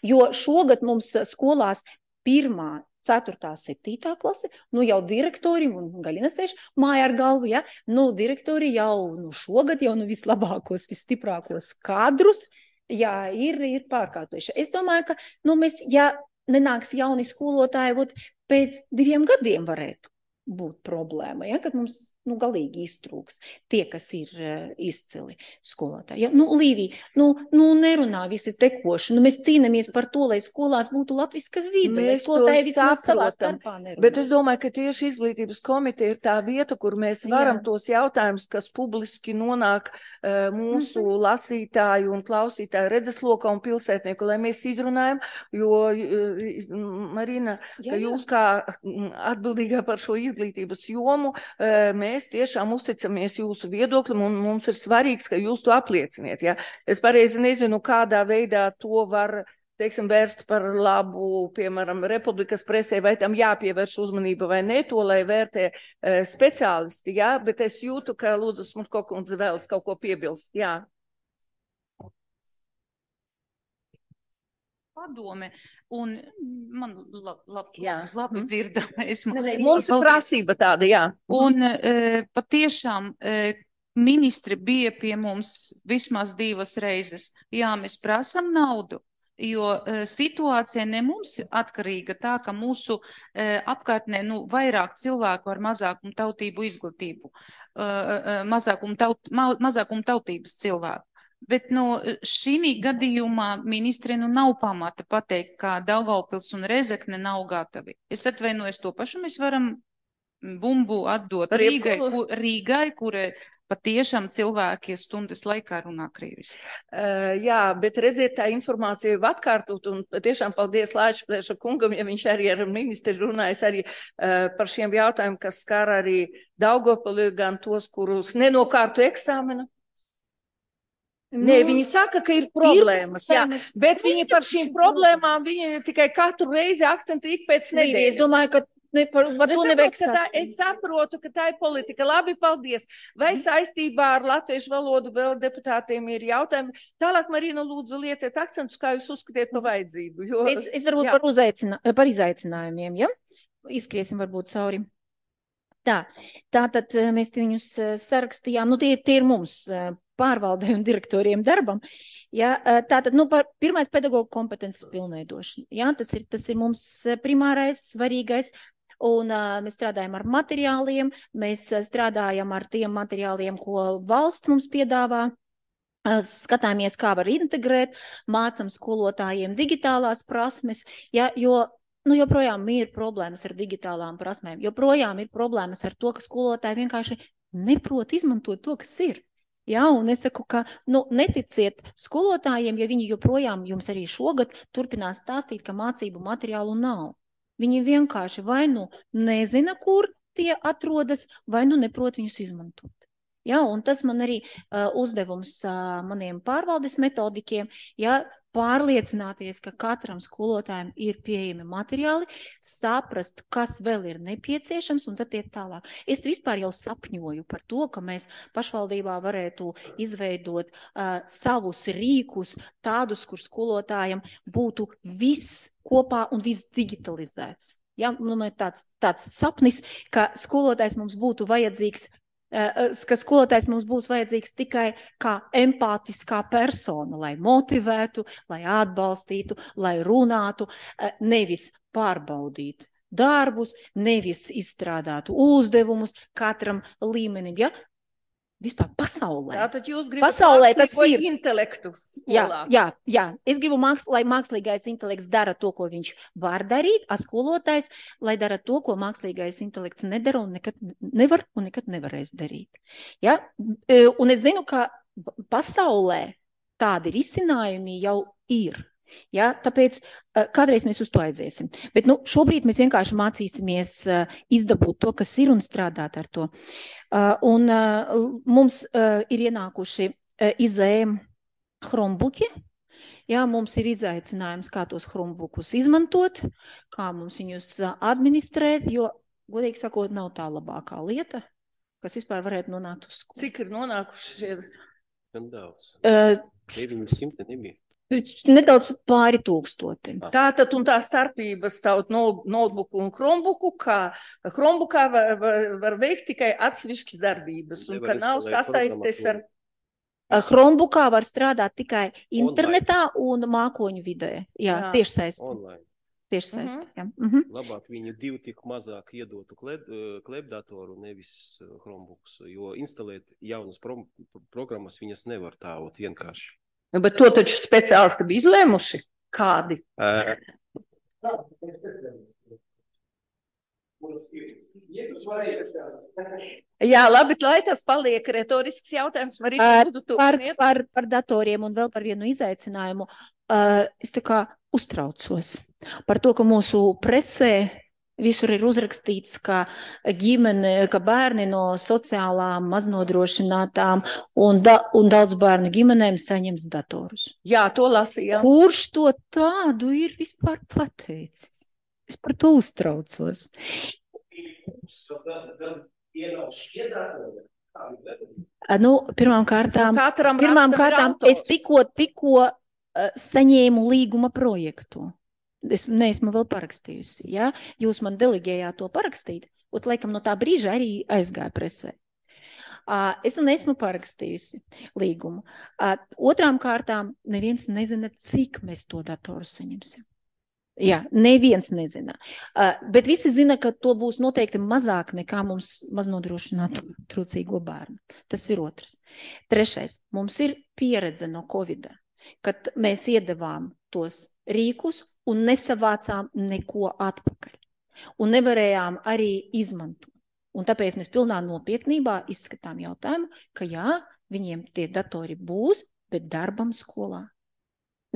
jo šogad mums skolās pirmā, ceturtā, septītā klase, nu jau direktori, un Gaļina sēž māja ar galvu, ja, nu direktori jau nu, šogad jau nu vislabākos, visstiprākos kadrus, jā, ir, ir pārkārtojuši. Es domāju, ka, nu mēs, ja nenāks jauni skolotāji, būt pēc diviem gadiem varētu būt problēma, ja, kad mums, nu, galīgi iztrūks tie, kas ir uh, izcili skolotāji. Ja? Nu, Līvija, nu, nu, nerunā visi tekoši, nu, mēs cīnamies par to, lai skolās būtu latviska vide, lai skolotāji vismaz savā starpā nerunā. Bet es domāju, ka tieši izglītības komiteja ir tā vieta, kur mēs varam Jā. tos jautājumus, kas publiski nonāk uh, mūsu mm-hmm. lasītāju un klausītāju redzeslokā un pilsētnieku, lai mēs izrunājam, jo, uh, Marina, Jā, ka jūs kā atbildīgā par šo izglītības jomu, uh, mēs tiešām uzticamies jūsu viedoklim un mums ir svarīgs, ka jūs to aplieciniet. Ja? Es pareizi nezinu, kādā veidā to var, teiksim, vērst par labu, piemēram, Republikas presē, vai tam jāpievērš uzmanība vai ne, to, lai vērtē e, speciālisti, ja? Bet es jūtu, ka Lūdzu Smutko kundze vēlas kaut ko piebilst. Jā. Padome, un man lab, lab, labi dzirdama. Mums ir prasība tāda, jā. Un e, patiešām e, ministri bija pie mums vismaz divas reizes. Jā, mēs prasam naudu. Jo uh, situācija ne mums atkarīga tā, ka mūsu uh, apkārtnē nu, vairāk cilvēku ar mazākumu tautību izglītību, uh, uh, mazākumu, taut, ma, mazākumu tautības cilvēku. Bet nu, šī gadījumā ministri nu, nav pamata pateikt, ka Daugavpils un Rezekne nav gatavi. Es atvainojos, to pašu mēs varam bumbu atdot Rīgai, ku, Rīgai, kura patiešām cilvēki stundas laikā runā krieviski. Uh, jā, bet redziet, tā informācija jau atkārtot, un patiešām paldies Lāčplēša kungam, ja viņš arī ar ministri runājas arī uh, par šiem jautājumiem, kas skar arī Daugavpili, gan tos, kurus nenokārtu eksāmenu. Nu, Nē, viņi saka, ka ir problēmas, ir, jā, bet viņi par šīm problēmām, viņi tikai katru reizi akcentu ik pēc nedēļas. Es domāju, ka ne, par, par to neveiks. Tā, es saprotu, ka tā ir politika. Labi, paldies. Vai saistībā ar latviešu valodu vēl deputātiem ir jautājumi? Tālāk, Marina, lūdzu, lieciet akcentus, kā jūs uzskatiet par vajadzību. Jo, es, es varbūt par, uzaicina, par izaicinājumiem, ja? Izskriesim varbūt cauri. Tā, tātad mēs viņus sarakstījām, nu tie, tie ir mums pārvaldē un direktoriem darbam. Ja, tātad, nu, par pirmais pedagoģu kompetences pilnveidošana. Ja, tas ir, tas ir mums primārais, svarīgais. Un uh, mēs strādājam ar materiāliem, mēs strādājam ar tiem materiāliem, ko valsts mums piedāvā. Uh, skatāmies, kā var integrēt, mācam skolotājiem digitālās prasmes, ja, jo nu, joprojām ir problēmas ar digitālām prasmēm, joprojām ir problēmas ar to, ka skolotāji vienkārši neprot izmantot to, kas ir. Jā, un es saku, ka nu, neticiet skolotājiem, ja viņi joprojām jums arī šogad turpinās stāstīt, ka mācību materiālu nav. Viņi vienkārši vai nu nezina, kur tie atrodas, vai nu neprot viņus izmantot. Jā, un tas man arī uh, uzdevums uh, maniem pārvaldes metodikiem, ja pārliecināties, ka katram skolotājiem ir pieejami materiāli, saprast, kas vēl ir nepieciešams, un tad iet tālāk. Es vispār jau sapņoju par to, ka mēs pašvaldībā varētu izveidot uh, savus rīkus, tādus, kur skolotājiem būtu viss kopā un viss digitalizēts. Ja, nu, tāds, tāds sapnis, ka skolotājs mums būtu vajadzīgs ka skolotājs mums būs vajadzīgs tikai kā empātiskā persona, lai motivētu, lai atbalstītu, lai runātu, nevis pārbaudīt darbus, nevis izstrādātu uzdevumus katram līmenim, ja? Vispār pasaulē. Tātad jūs gribat pasaulē tas ir intelektu skolā. Jā, jā, jā. Es gribu, māks, lai mākslīgais intelekts dara to, ko viņš var darīt, a skolotājs, lai dara to, ko mākslīgais intelekts nedara un nekad nevar un nekad nevarēs darīt. Ja? Un es zinu, ka pasaulē tādi risinājumi jau ir. Ja, tāpēc kādreiz mēs uz to aiziesim. Bet nu, šobrīd mēs vienkārši mācīsimies izdabūt to, kas ir un strādāt ar to. Un mums ir ienākuši izējumi Chromebooki. Ja, mums ir izaicinājums, kā tos Chromebookus izmantot, kā mums viņus administrēt, jo, godīgi sakot, nav tā labākā lieta, kas vispār varētu nonākt uz skolu. Cik ir nonākuši? Gan daudz. Uh, deviņi simti nebija. Nedaudz pāri tūkstoti. Tātad un tā starpības taut notebooku un Chromebooku, kā Chromebookā var, var, var veikt tikai atsevišķas darbības, un ka nav sasaistes ar... Chromebookā var strādāt tikai internetā un mākoņu vidē. Jā, jā. Tieši saist. Online. Tieši saist, Mhm. jā. Mhm. Labāk viņu divu tik mazāk iedotu kleb, klebdatoru, nevis Chromebooks, jo instalēt jaunas pro, programmas viņas nevar tā vienkārši. Bet to taču speciālisti bija izlēmuši. Kādi? Uh, Jā, labi, lai tas paliek retorisks jautājums. Marīna, lūdzu, par, turpiniet. par, par datoriem un vēl par vienu izaicinājumu. Uh, es tā kā uztraucos par to, ka mūsu presē visur ir uzrakstīts, ka ģimene, ka bērni no sociālām maznodrošinātām un, da, un daudz bērnu ģimenēm saņems datorus. Jā, to lasīja. Kurš to tādu ir vispār pateicis? Es par to uztraucos. Nu, pirmām kārtām, Katram pirmām rakstam ir kārtām autors. es tikko, tikko uh, saņēmu līguma projektu. Es neesmu vēl parakstījusi, ja? Jūs man delegējāt to parakstīt, un laikam no tā brīža arī aizgāja presē. Es un esmu parakstījusi līgumu. Otrām kārtām neviens nezina, cik mēs to datoru saņemsim. Jā, neviens nezina. Bet visi zina, ka to būs noteikti mazāk nekā mums maznodrošinātu trūcīgo bērnu. Tas ir otrs. Trešais. Mums ir pieredze no Covida, kad mēs iedevām tos rīkus un nesavācām neko atpakaļ. Un nevarējām arī izmantot. Un tāpēc mēs pilnā nopietnībā izskatām jautājumu, ka jā, viņiem tie datori būs, bet darbam skolā.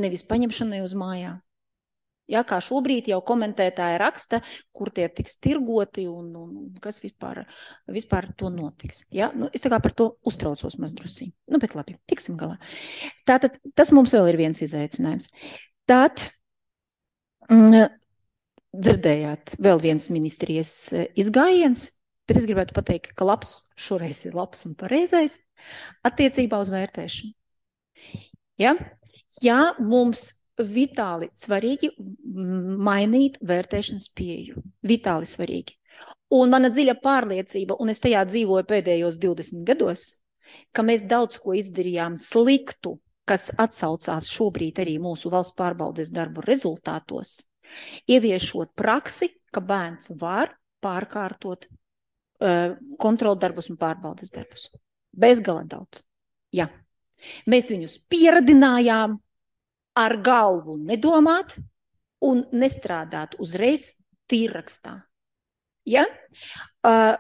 Nevis paņemšanai uz mājām. Jā, kā šobrīd jau komentētāji raksta, kur tie tiks tirgoti un, un kas vispār, vispār to notiks. Jā, nu, es tā kā par to uztraucos mazdrusī. Nu, bet labi, tiksim galā. Tātad, tas mums vēl ir viens izaicinājums. Tātad, mm, dzirdējāt vēl viens ministrijas izgājiens, bet es gribētu pateikt, ka labs šoreiz ir labs un pareizais attiecībā uz vērtēšanu. Ja? Jā, mums vitāli svarīgi mainīt vērtēšanas pieeju. Vitāli svarīgi. Un mana dziļa pārliecība, un es tajā dzīvoju pēdējos divdesmit gados, ka mēs daudz ko izdarījām sliktu, kas atsaucās šobrīd arī mūsu valsts pārbaudes darbu rezultātos, ieviešot praksi, ka bērns var pārkārtot kontroldarbus un pārbaudes darbus. Bezgala daudz. Jā. Mēs viņus pieradinājām ar galvu nedomāt un nestrādāt uzreiz tīrrakstā. Ja? Uh,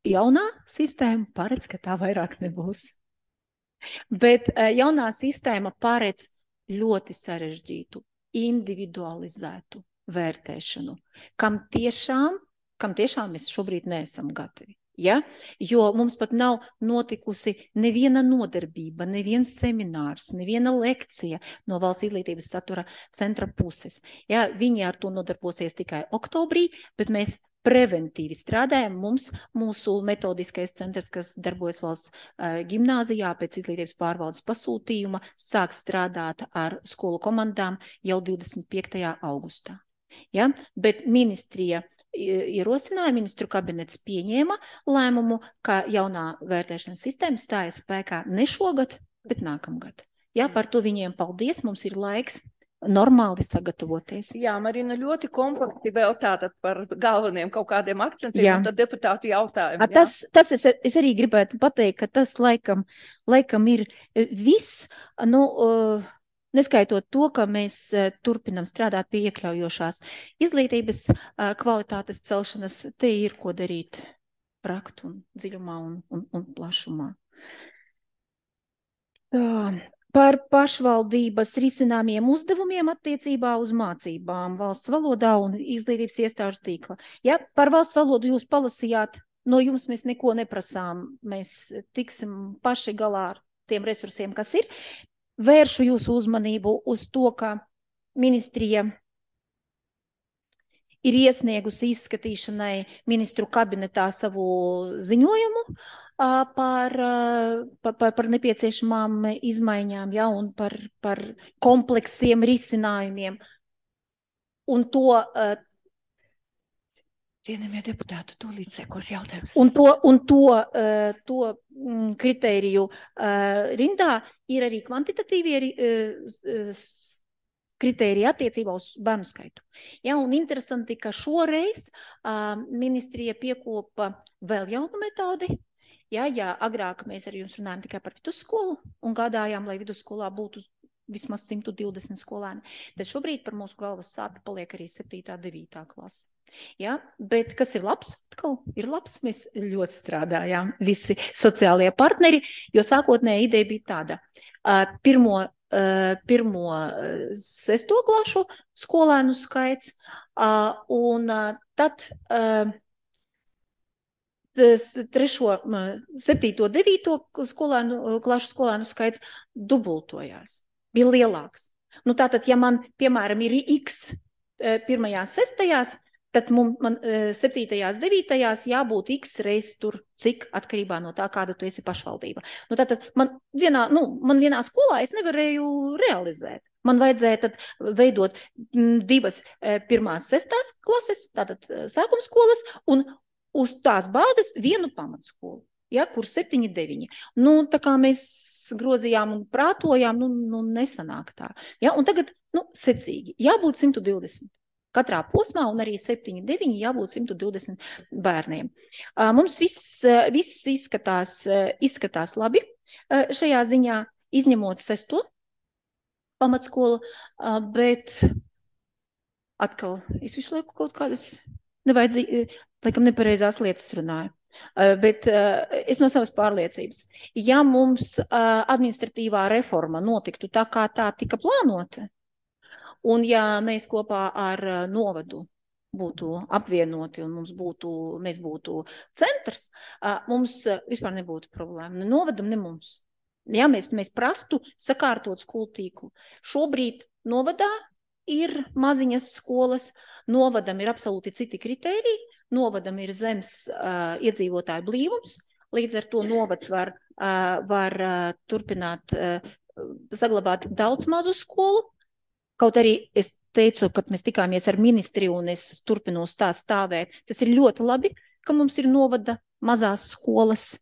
jaunā sistēma paredz, ka tā vairāk nebūs. Bet uh, jaunā sistēma paredz ļoti sarežģītu, individualizētu vērtēšanu, kam tiešām kam tiešām mēs šobrīd neesam gatavi. Ja? Jo mums pat nav notikusi neviena nodarbība, neviens seminārs, neviena lekcija no Valsts izglītības satura centra puses. Ja? Viņi ar to nodarbosies tikai oktobrī, bet mēs preventīvi strādājam. Mums, mūsu metodiskais centrs, kas darbojas valsts uh, gimnāzijā pēc izglītības pārvaldes pasūtījuma, sāk strādāt ar skolu komandām jau divdesmit piektajā augustā. Ja? Bet ministrija ierosināja, ministru kabinets pieņēma lēmumu, ka jaunā vērtēšanas sistēma stājas spēkā ne šogad, bet nākamgad. Ja? Par to viņiem paldies, mums ir laiks normāli sagatavoties. Jā, Marina, ļoti kompakti vēl tātad par galveniem kaut kādiem akcentiem, jā. Un tad deputāti jautājumi. Tas, tas es, es arī gribētu pateikt, ka tas laikam, laikam ir viss, nu, uh, neskaitot to, ka mēs turpinam strādāt pie iekļaujošās izglītības kvalitātes celšanas, te ir ko darīt praktu un dziļumā un, un, un plašumā. Tā, par pašvaldības risināmiem uzdevumiem attiecībā uz mācībām valsts valodā un izglītības iestāžu tīkla. Ja, par valsts valodu jūs palasījāt, no jums mēs neko neprasām, mēs tiksim paši galā ar tiem resursiem, kas ir. Vēršu jūsu uzmanību uz to, ka ministrija ir iesniegusi izskatīšanai ministru kabinetā savu ziņojumu par, par, par nepieciešamām izmaiņām, ja, un par, par kompleksiem risinājumiem. Un to, cienījamie deputāti, to līdz sekos jautājums. Un to, un to, to kritēriju rindā ir arī kvantitatīvie kritēriji attiecībā uz bērnu skaitu. Ja, un interesanti, ka šoreiz ministrija piekopa vēl jaunu metodi. Ja, ja agrāk mēs ar jums runājam tikai par vidusskolu un gādājām, lai vidusskolā būtu vismaz simt divdesmit skolēni, tad šobrīd par mūsu galvas sāpi paliek arī septītā, devītā klase. Ja, bet kas ir labs? Atkal ir labs, mēs ļoti strādājām visi sociālie partneri, jo sākotnēja ideja bija tāda. Pirmo, pirmo sesto klašu skolēnu skaits un tad trešo, septīto, devīto skolēnu, klašu skolēnu skaits dubultojās, bija lielāks. Nu tātad, ja man, piemēram, ir X pirmajās, sestajās, tad mums, man septītajās, devītajās jābūt X reiz tur, cik atkarībā no tā, kāda tu esi pašvaldība. Nu, tātad man vienā, nu, man vienā skolā es nevarēju realizēt. Man vajadzēja tad veidot divas pirmās, sestās klases, tātad sākumskolas, un uz tās bāzes vienu pamatskolu. ja, kur septiņi, deviņi. Nu, tā kā mēs grozījām un prātojām, nu, nu nesanāk tā. Ja, un tagad, nu, secīgi, jābūt simt divdesmit. Katrā posmā un arī septiņi, deviņi jābūt simt divdesmit bērniem. Mums viss, viss izskatās, izskatās labi šajā ziņā, izņemot sesto pamatskolu, bet atkal es visu laiku kaut kādas nevajadzīgi, laikam nepareizās lietas runāju. Bet es no savas pārliecības. Ja mums administratīvā reforma notiktu tā, kā tā tika plānota, un ja mēs kopā ar novadu būtu apvienoti un mums būtu, mēs būtu centrs, mums vispār nebūtu problēma. Ne novadam, ne mums. Ja, mēs, mēs prastu sakārtot skolu tīklu. Šobrīd novadā ir maziņas skolas, novadam ir absolūti citi kritēriji, novadam ir zems uh, iedzīvotāju blīvums, līdz ar to novads var, uh, var uh, turpināt uh, saglabāt daudz mazu skolu. Kaut arī es teicu, kad mēs tikāmies ar ministri un es turpinos tā stāvēt, tas ir ļoti labi, ka mums ir novada mazās skolas.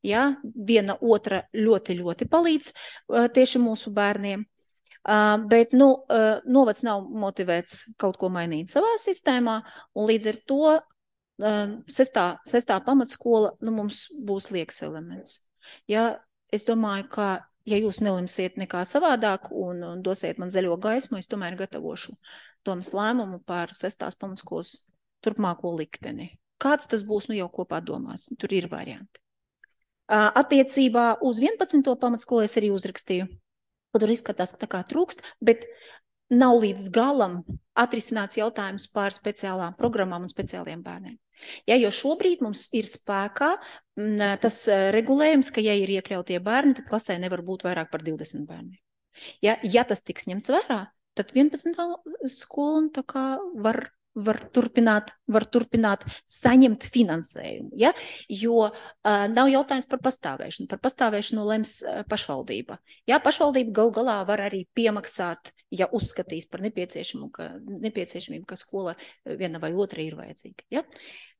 Ja? Viena otra ļoti, ļoti palīdz uh, tieši mūsu bērniem. Uh, bet, nu, uh, novads nav motivēts kaut ko mainīt savā sistēmā, un līdz ar to uh, sestā, sestā pamatskola, nu, mums būs liekas elements. Ja? Es domāju, ka ja jūs nelimsiet nekā savādāk un, un dosiet man zaļo gaismu, es tomēr gatavošu domas lēmumu par sestās pamatskolas turpmāko likteni. Kāds tas būs, nu jau kopā domās, tur ir varianti. Attiecībā uz vienpadsmito pamatskolu es arī uzrakstīju, ka tur izskatās tā kā trūkst, bet nav līdz galam atrisināts jautājums par speciālām programmām un speciāliem bērniem. Ja, jo šobrīd mums ir spēkā tas regulējums, ka ja ir iekļautie bērni, tad klasē nevar būt vairāk par divdesmit bērniem. Ja, ja tas tiks ņemts vērā, tad vienpadsmitā skola tā kā var, var, turpināt, var turpināt saņemt finansējumu. Ja? Jo uh, nav jautājums par pastāvēšanu. Par pastāvēšanu lems uh, pašvaldība. Ja, pašvaldība gal galā var arī piemaksāt, ja uzskatīs par nepieciešamu, ka, nepieciešamību, ka skola viena vai otra ir vajadzīga. Ja?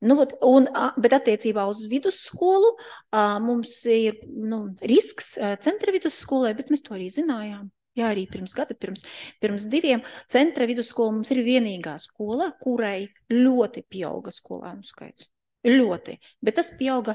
Nu, un, bet attiecībā uz vidusskolu uh, mums ir nu, risks uh, centra vidusskolē, bet mēs to arī zinājām. Jā, arī pirms gada, pirms, pirms diviem centra vidusskola mums ir vienīgā skola, kurai ļoti pieauga skolānu skaits. Ļoti. Bet tas pieauga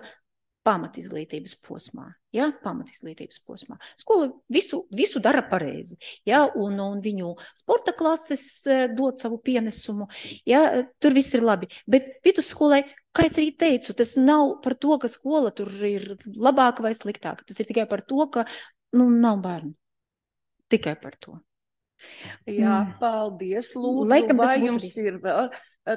pamatizglītības posmā. Jā, pamatizglītības posmā. Skola visu, visu dara pareizi. Jā, un, un viņu sporta klases dod savu pienesumu. Jā, tur viss ir labi. Bet vidusskolai, kā es arī teicu, tas nav par to, ka skola tur ir labāka vai sliktāka. Tas ir tikai par to, ka nu, nav bērnu. Tikai par to. Jā, paldies, lūdzu. Laikam, vai jums ir vēl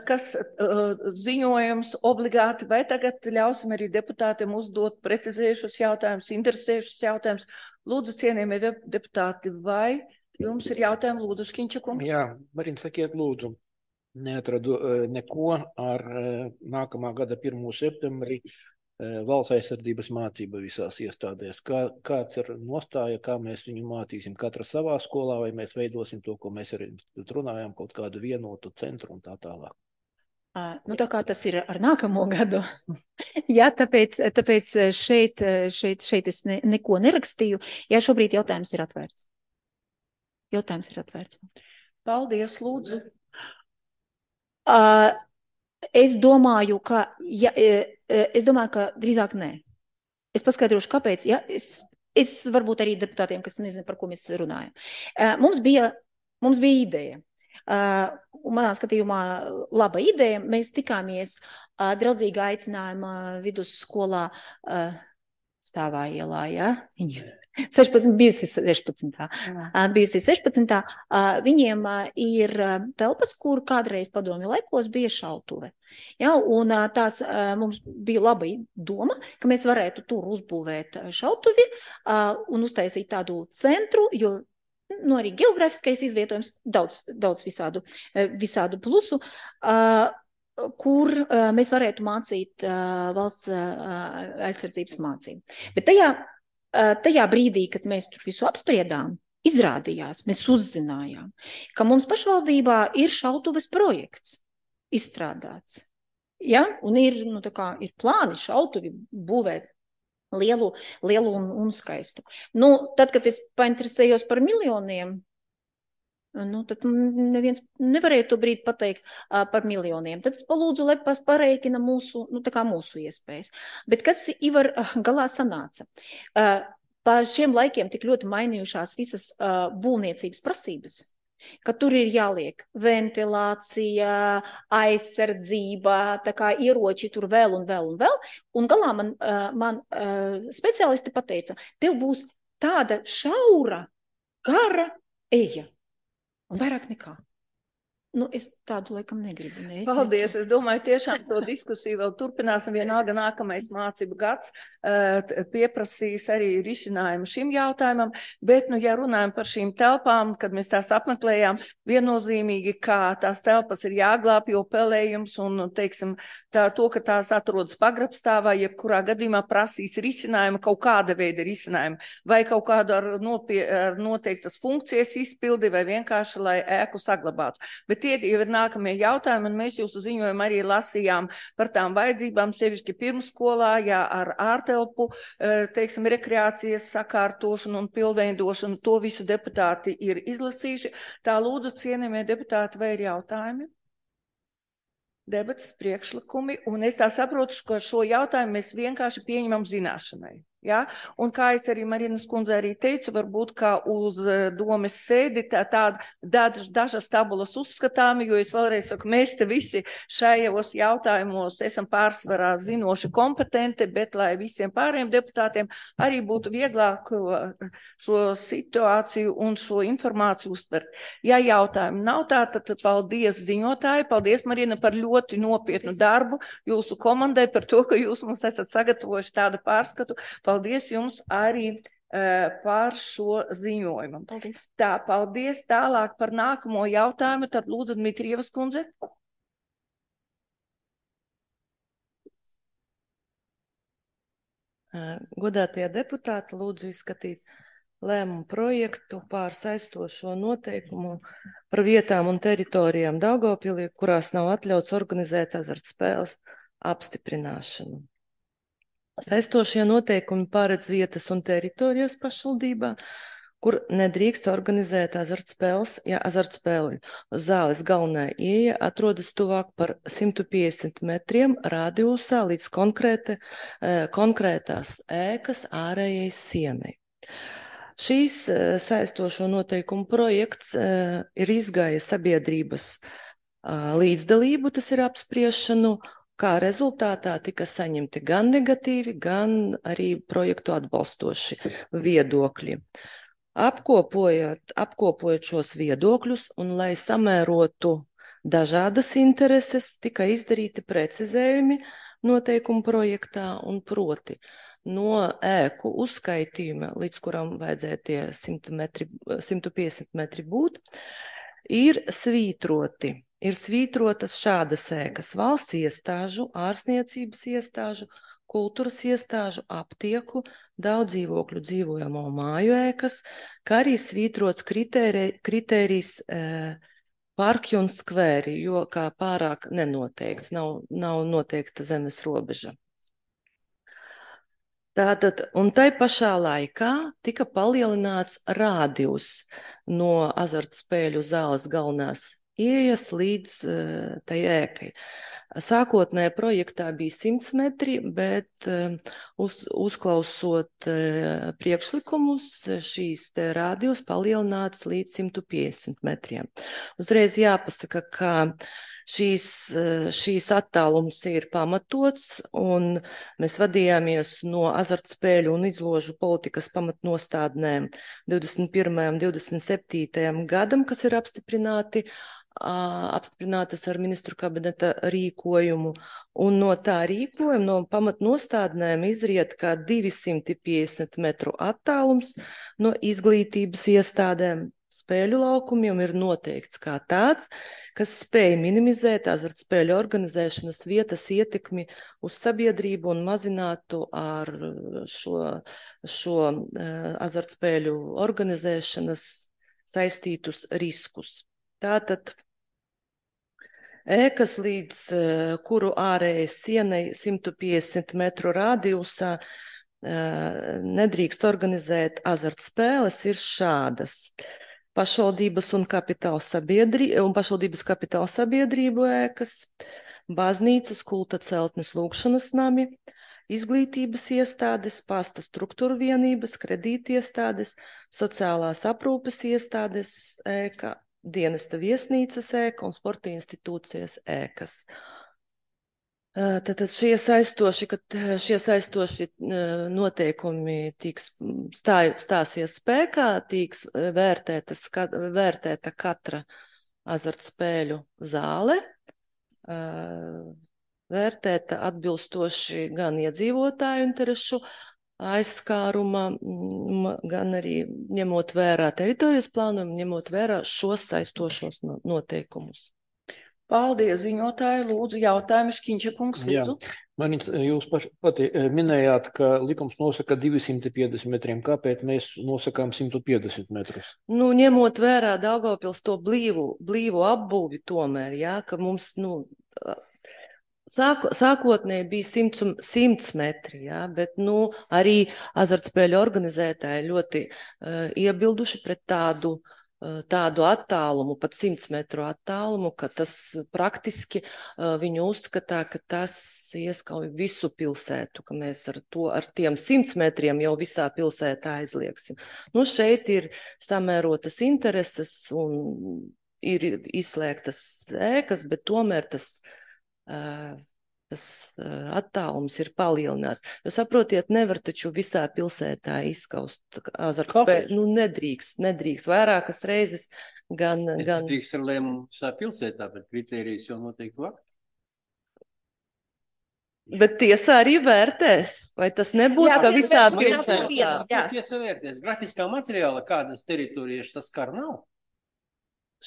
kas uh, ziņojums obligāti, vai tagad ļausim arī deputātiem uzdot precizējušus jautājumus, interesējušus jautājumus? Lūdzu, cienījamie deputāti, vai jums ir jautājumi? Lūdzu, Škiņča kungs. Jā, Marina, sakiet, lūdzu, neatradu uh, neko ar uh, nākamā gada pirmo septembrī valsts aizsardzības mācība visās iestādēs. Kā, kāds ir nostāja, kā mēs viņu mācīsim katra savā skolā, vai mēs veidosim to, ko mēs arī runājām, kaut kādu vienotu centru un tā tālāk? Uh, nu, tā kā tas ir ar nākamo gadu. Jā, tāpēc, tāpēc šeit, šeit, šeit es ne, neko nerakstīju. Jā, šobrīd jautājums ir atvērts. Jautājums ir atvērts. Paldies, lūdzu. Uh, Es domāju, ka, ja, es domāju, ka drīzāk nē. Es paskaidrošu, kāpēc. Ja? Es, es varbūt arī deputātiem, kas nezinu, par ko mēs runājam. Mums bija, mums bija ideja. Un manā skatījumā laba ideja. Mēs tikāmies draudzīgā aicinājuma vidusskolā Stāvā ielā, ja? sešpadsmit, bijusi sešpadsmitā. Bijusi sešpadsmitā. Viņiem ir telpas, kur kādreiz padomju laikos bija šautuve. Ja, un tās mums bija laba doma, ka mēs varētu tur uzbūvēt šautuvi un uztaisīt tādu centru, jo nu, arī geogrāfiskais izvietojums daudz, daudz visādu, visādu plusu. Kur uh, mēs varētu mācīt uh, valsts uh, aizsardzības mācību. Bet tajā, uh, tajā brīdī, kad mēs tur visu apspriedām, izrādījās, mēs uzzinājām, ka mums pašvaldībā ir šautuves projekts izstrādāts. Ja? Un ir, nu, tā kā, ir plāni šautuvi būvēt lielu, lielu un, un skaistu. Nu, tad, kad es painteresējos par miljoniem, nu, tad neviens nevarēja to brīdi pateikt uh, par miljoniem. Tad es palūdzu, lai pareikina mūsu, nu, tā kā mūsu iespējas. Bet kas Ivar uh, galā sanāca? Uh, pa šiem laikiem tik ļoti mainījušās visas uh, būvniecības prasības, ka tur ir jāliek ventilācija, aizsardzība, tā kā ieroči tur vēl un vēl un vēl. Un galā man, uh, man uh, speciālisti pateica, tev būs tāda šaura, gara eja. Un vairāk nekā. Nu, es tādu laikam negribu. Ne, es Paldies. negribu. Es domāju, tiešām to diskusiju vēl turpināsim. Vienalga nākamais mācību gads uh, pieprasīs arī risinājumu šim jautājumam. Bet, nu, ja runājam par šīm telpām, kad mēs tās apmeklējām, viennozīmīgi, kā tās telpas ir jāglāb, jo pelējums un, teiksim, tā, to, ka tās atrodas pagrabstāvā, jebkurā gadījumā prasīs risinājumu, kaut kāda veida risinājumu, vai kaut kādu ar, nopie, ar noteiktas funkcijas izpildi, vai vienkārši, lai ēku saglabātu. Bet tie jau ir nākamie jautājumi, un mēs jūsu ziņojumu arī lasījām par tām vajadzībām, sevišķi pirmsskolā, jā, ar ārtelpu, teiksim, rekreācijas sakārtošanu un pilnveidošanu. To visu deputāti ir izlasījuši. Tā lūdzu, cienījamie deputāti, vai ir jautājumi? Debates, priekšlikumi, un es tā saprotu, ka šo jautājumu mēs vienkārši pieņemam zināšanai. Ja? Un kā es arī Marinas kundze arī teicu, varbūt kā uz domes sēdi tā, tāda daž, dažas tabulas uzskatāmi, jo es vēlreiz saku, mēs te visi šajos jautājumos esam pārsvarā zinoši kompetenti, bet lai visiem pārējiem deputātiem arī būtu vieglāk šo situāciju un šo informāciju uztvert. Ja jautājumu nav tā, tad paldies ziņotāji, paldies Marina par ļoti nopietnu darbu jūsu komandai, par to, ka jūs mums esat sagatavojuši tādu pārskatu. Paldies jums arī uh, par šo ziņojumu. Paldies. Tā, paldies. Tālāk par nākamo jautājumu. Tad lūdzu, Dmitrievas kundze. Godātie deputāti, lūdzu izskatīt lēmumu projektu pār saistošo noteikumu par vietām un teritorijām Daugavpilī, kurās nav atļauts organizēt azartspēles apstiprināšanu. Saistošie noteikumi paredz vietas un teritorijas pašvaldībā, kur nedrīkst organizēt azartspēles, ja azartspēļu zāles galvenā ieeja atrodas tuvāk par simt piecdesmit metriem radiusā līdz konkrēta, konkrētās ēkas ārējai sienai. Šīs saistošo noteikumu projekts ir izgājis sabiedrības līdzdalību, tas ir apspriešanu, kā rezultātā tika saņemti gan negatīvi, gan arī projektu atbalstoši viedokļi. Apkopojot, apkopojot šos viedokļus un lai samērotu dažādas intereses, tika izdarīti precizējumi noteikumu projektā un proti no ēku uzskaitījuma, līdz kuram vajadzēja tie simt piecdesmit metri būt, ir svītroti. Ir svītrotas šādas ēkas valsts iestāžu, ārsniecības iestāžu, kultūras iestāžu, aptieku, daudz dzīvokļu dzīvojamo māju ēkas, kā arī svītrots kritēri, kritērijs e, parki un skvēri, jo kā pārāk nenoteikts, nav, nav noteikta zemes robeža. Tātad, un tai pašā laikā tika palielināts rādijus no azartspēļu zāles galvenās ieejas līdz uh, tai ēkai. Sākotnējā projektā bija simt metri, bet uh, uz, uzklausot uh, priekšlikumus, šīs te rādījus palielināts līdz simt piecdesmit metriem. Uzreiz jāpasaka, ka šīs, šīs attālums ir pamatots, un mēs vadījāmies no azartspēļu un izložu politikas pamatnostādnēm divdesmit pirmajam un divdesmit septītajam gadam, kas ir apstiprināti apstiprinātas ar ministru kabineta rīkojumu, un no tā rīkojuma, no pamatnostādnēm izriet kā divsimt piecdesmit metru attālums no izglītības iestādēm. Spēļu laukumiem ir noteikts kā tāds, kas spēj minimizēt azartspēļu organizēšanas vietas ietekmi uz sabiedrību un mazinātu ar šo, šo azartspēļu organizēšanas saistītus riskus. Tātad ēkas līdz kuru ārējai sienai simt piecdesmit metru rādījusā nedrīkst organizēt azartspēles, ir šādas. Pašvaldības un kapitāla sabiedrība, un pašvaldības kapitāla sabiedrību ēkas, baznīcas, kulta celtnes, lūgšanas nami, izglītības iestādes, pasta struktūra vienības, kredītiestādes, sociālās aprūpes iestādes ēka, dienesta viesnīcas ēka un sporta institūcijas ēkas. Tātad šie saistoši, kad šie saistoši noteikumi tiks stāj, stāsies spēkā, tiks vērtētas, vērtēta katra azartspēļu zāle, vērtēta atbilstoši gan iedzīvotāju interešu aizskāruma, gan arī ņemot vērā teritorijas plānumu, ņemot vērā šos saistošos noteikumus. Paldies, ziņotāji. Lūdzu, jautājumu Škiņša kungs, lūdzu. Jā. Man jūs paši pati minējāt, ka likums nosaka divsimt piecdesmit metriem. Kāpēc mēs nosakām simt piecdesmit metrus? Nu, ņemot vērā Daugavpils to blīvu, blīvu apbūvi tomēr, jā, ka mums, nu, sāko, sākotnēji bija simts, simts metri, jā, bet, nu, arī azartspēļu organizētāji ļoti uh, iebilduši pret tādu tādu attālumu, pat simts metru attālumu, ka tas praktiski uh, viņu uzskatā, ka tas ieskauj visu pilsētu, ka mēs ar to, ar tiem simts metriem jau visā pilsētā aizliegsim. Nu, šeit ir samērotas intereses un ir izslēgtas ēkas, bet tomēr tas, uh, tas uh, attālums ir palielināts. Jo saprotiet, nevar taču visā pilsētā izskaust azartspēļu. Nu, nedrīkst, nedrīkst. Vairākas reizes gan... gan... Nedrīkst ar lēmumu visā pilsētā, bet kritērijas jau noteikti vakt. Bet tiesa arī vērtēs, vai tas nebūs, jā, ka visā pilsētā? Jā, jā. Tiesa vērtēs. Grafiskā materiāla kādas teritorijas tas skar nav?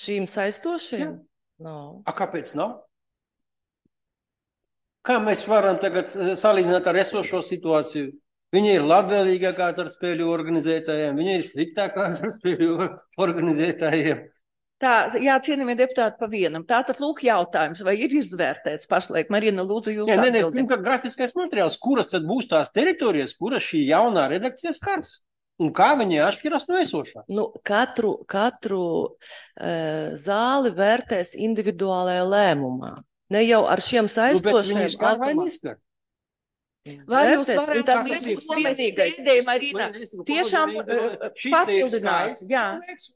Šīm saistošiem? Nav. A, kāpēc nav? Kā mēs varam tagad salīdzināt ar esošo situāciju? Viņi ir labvēlīgākā ar spēļu organizētājiem, viņi ir sliktākā ar spēļu organizētājiem. Tā, jā, cienījamie deputāti, pa vienam. Tātad lūk jautājums, vai ir izvērtēts pašlaik? Marina, lūdzu, jūs jā, atbildi. Nē, nē, pirmkārt, grafiskais materiāls, kuras tad būs tās teritorijas, kuras šī jaunā redakcija skars? Un kā viņi atšķiras no esošā? Nu, katru katru uh, zāli vērtēs individuālajā lēmumā. Ne jau ar šiem saistošiem. Nu, skar vai neskar? Vai jūs varat tas likt, ko mēs sēdējam, Marina, tiešām papildināt? Jā.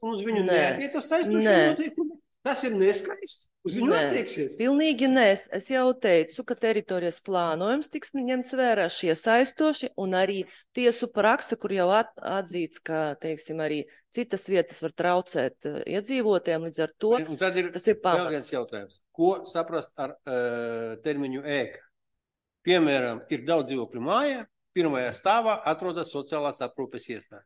Uz viņu neatiecas saistošie noteikumi? Tas ir neskaists? Uz viņu attieksies? Pilnīgi nē. Es jau teicu, ka teritorijas plānojums tiks ņemts vērā šie saistoši un arī tiesu prakse, kur jau at, atzīts, ka, teiksim, arī citas vietas var traucēt uh, iedzīvotiem, līdz ar to un tad ir, tas ir pamats. Vēl viens jautājums. Ko saprast ar uh, termiņu ēka? Piemēram, ir daudz dzīvokļu mājā, pirmajā stāvā atrodas sociālās aprūpes iestāde.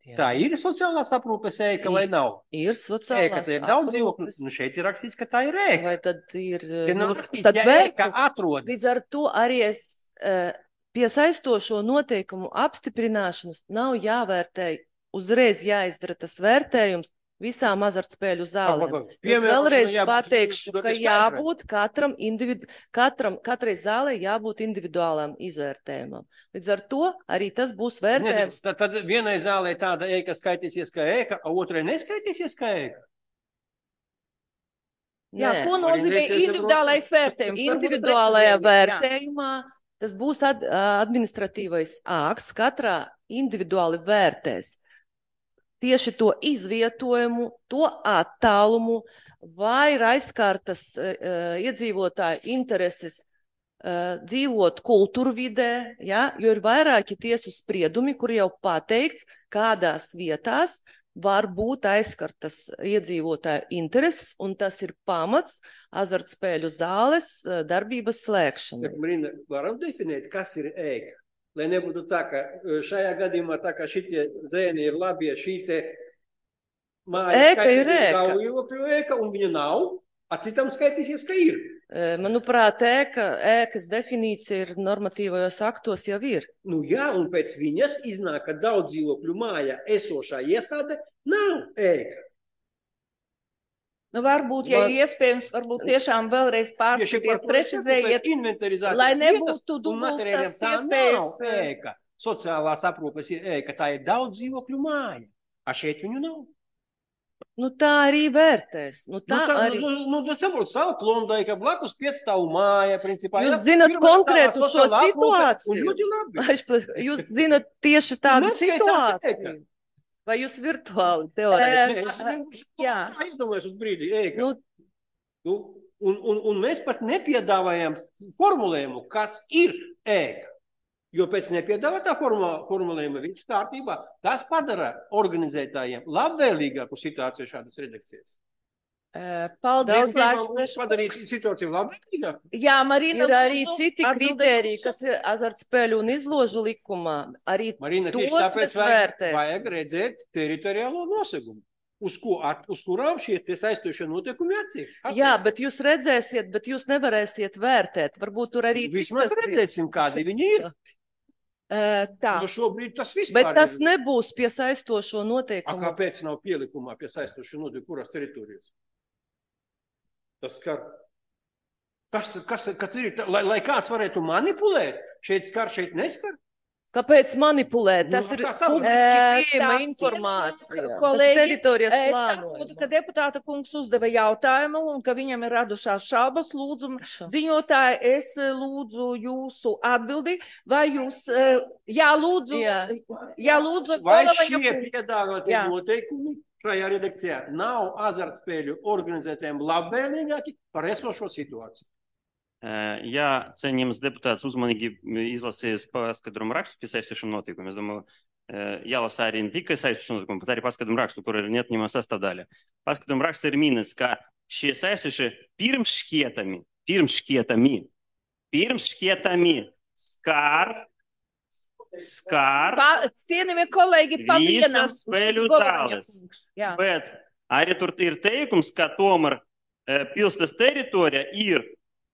Jā. Tā ir sociālās aprūpes ēka ir, vai nav? Ir sociālās ēka, tā ir daudz dzīvokļu. Nu, šeit ir rakstīts, ka tā ir ēka. Vai tad ir... Ja nu, rakstīts, tad ja vēl, ēka atrodas. Līdz ar to arī es uh, pie saistošo noteikumu apstiprināšanas nav jāvērtē, uzreiz jāizdara tas vērtējums visām azartspēļu zālēm. Es vēlreiz jābūt, pateikšu, ka jābūt katram, individu, katram, katrai zālē jābūt individuālām izvērtējumam. Līdz ar to arī tas būs vērtējums. Tad, tad vienai zālē tāda ēka skaitīsies kā ēka, a otrai neskaitīsies kā ēka? Jā, Nē. Ko nozīmē individuālais vērtējums? Individuālajā vērtējumā tas būs ad, administratīvais akts, katrā individuāli vērtēs tieši to izvietojumu, to attālumu, vai ir aizskārtas uh, iedzīvotāju intereses uh, dzīvot kultūru vidē, ja? Jo ir vairāki tiesu spriedumi, kur jau pateikts, kādās vietās var būt aizskartas iedzīvotāju intereses, un tas ir pamats azartspēļu zāles uh, darbības slēgšanai. Marina, varam definēt, kas ir ēka? Lai nebūtu tā, ka šajā gadījumā tā, ka šitie dzēni ir labi, ja šī te māja ēka ir ēka. Dzīvokļu ēka, un viņa nav, a citam skaitīsies, ka ir. Manuprāt, ēka, ēkas definīcija ir normatīvajos aktos jau ir. Nu jā, un pēc viņas iznāk, ka daudz dzīvokļu māja esošā iestāde nav ēka. Nu, varbūt, ja Man- ir iespējams, varbūt tiešām vēlreiz Tieši par pārskatiet, to es saku, precizējiet, pēc inventarizācijas lai vietas nebūtu un materiāliem dubultas tā iespējas. nav ēka. Sociālās aprūpes ir ēka, tā ir daudz dzīvokļu māja. A šeit viņu nav. Nu, tā arī vērtēs. Nu, tā Nu, tā, arī. nu, nu, nu, saprot, stāv Klondaika, blakus piecstāvu māja, principā. Jūs jā. zinat Pirmā konkrētu stāvā šo sociālā aprūpe, situāciju? Un ļoti labi. Aizpla- Jūs zinat tieši tādu neskaitās ēka. situāciju? Vai jūs virtuāli Eh, teorētiski? Nē, es vienkārši jā. tā iedomājos uz brīdi, ēka. Nu, Nu, un, un, un mēs pat nepiedāvājam formulējumu, kas ir ēka. Jo pēc nepiedāvātā formula, formulējuma viss kārtībā, tas padara organizētājiem labvēlīgāku situāciju šādas redakcijas. Eh, Paldies, Daudz Lārs gribam Preškungs. padarīt situāciju labvēlīgāku. Jā, Marina, ir arī lūdzu, citi atbildēt kritēriji, jūsu. kas ir azartspēļu un izložu likumā. Arī Marina, tos tieši tāpēc mēs vajag, vērtēsim. vajag redzēt teritoriālo nosegumu, uz, ko, at, uz kurām šie tie saistošie noteikumi attiek. Jā, bet jūs redzēsiet, bet jūs nevarēsiet vērtēt. Varbūt tur arī Vismaz citas redzēsim, kādi viņi ir. Eh, Tā, Jo šobrīd tas vispār Bet tas ir. nebūs pie saistošo A, noteikumu. kāpēc nav pielikumā pie saistošie noteikumi, kurās teritorijās? Tas skar. Kas, tad- kas, tad- kas ir, tā- lai, lai kāds varētu manipulēt, šeit skar, šeit neskar? Kāpēc manipulēt? Tas Nu, ir kā saprast? publiski Eh, pieejama tā, informācija. Tas kolēģi, teritorijas es saprotu, ka plānojumā. deputāta kungs uzdeva jautājumu un ka viņam ir radušās šaubas. Lūdzu, ziņotāji, es eh, lūdzu jūsu atbildi. Vai jūs, eh, jā, lūdzu, Jā. jā, lūdzu, Vai Golavaņa šie kungs. piedāvātie Jā. noteikumi šajā redakcijā nav azartspēļu organizētājiem labvēlīgāki par esošo situāciju? Eh, Jā, cienījams deputāts uzmanīgi izlasījis paskaidrojumu rakstu pie saistošiem notikumiem. Es domāju, eh, jālasa arī ne tikai saistošie notikumi, bet arī paskaidrojumu rakstu, kur ir neatņemama sastāvdaļa. Paskaidrojumu raksts ir minēts, ka šie saistošie pirms šķietami, pirms šķietami, pirms šķietami skar, skar, Pa, cienījamie kolēģi, pa vienam. visas spēļu Golavaņa zāles. kungs. Jā. Bet arī tur ir teikums, ka tomēr eh, pilsētas teritorija ir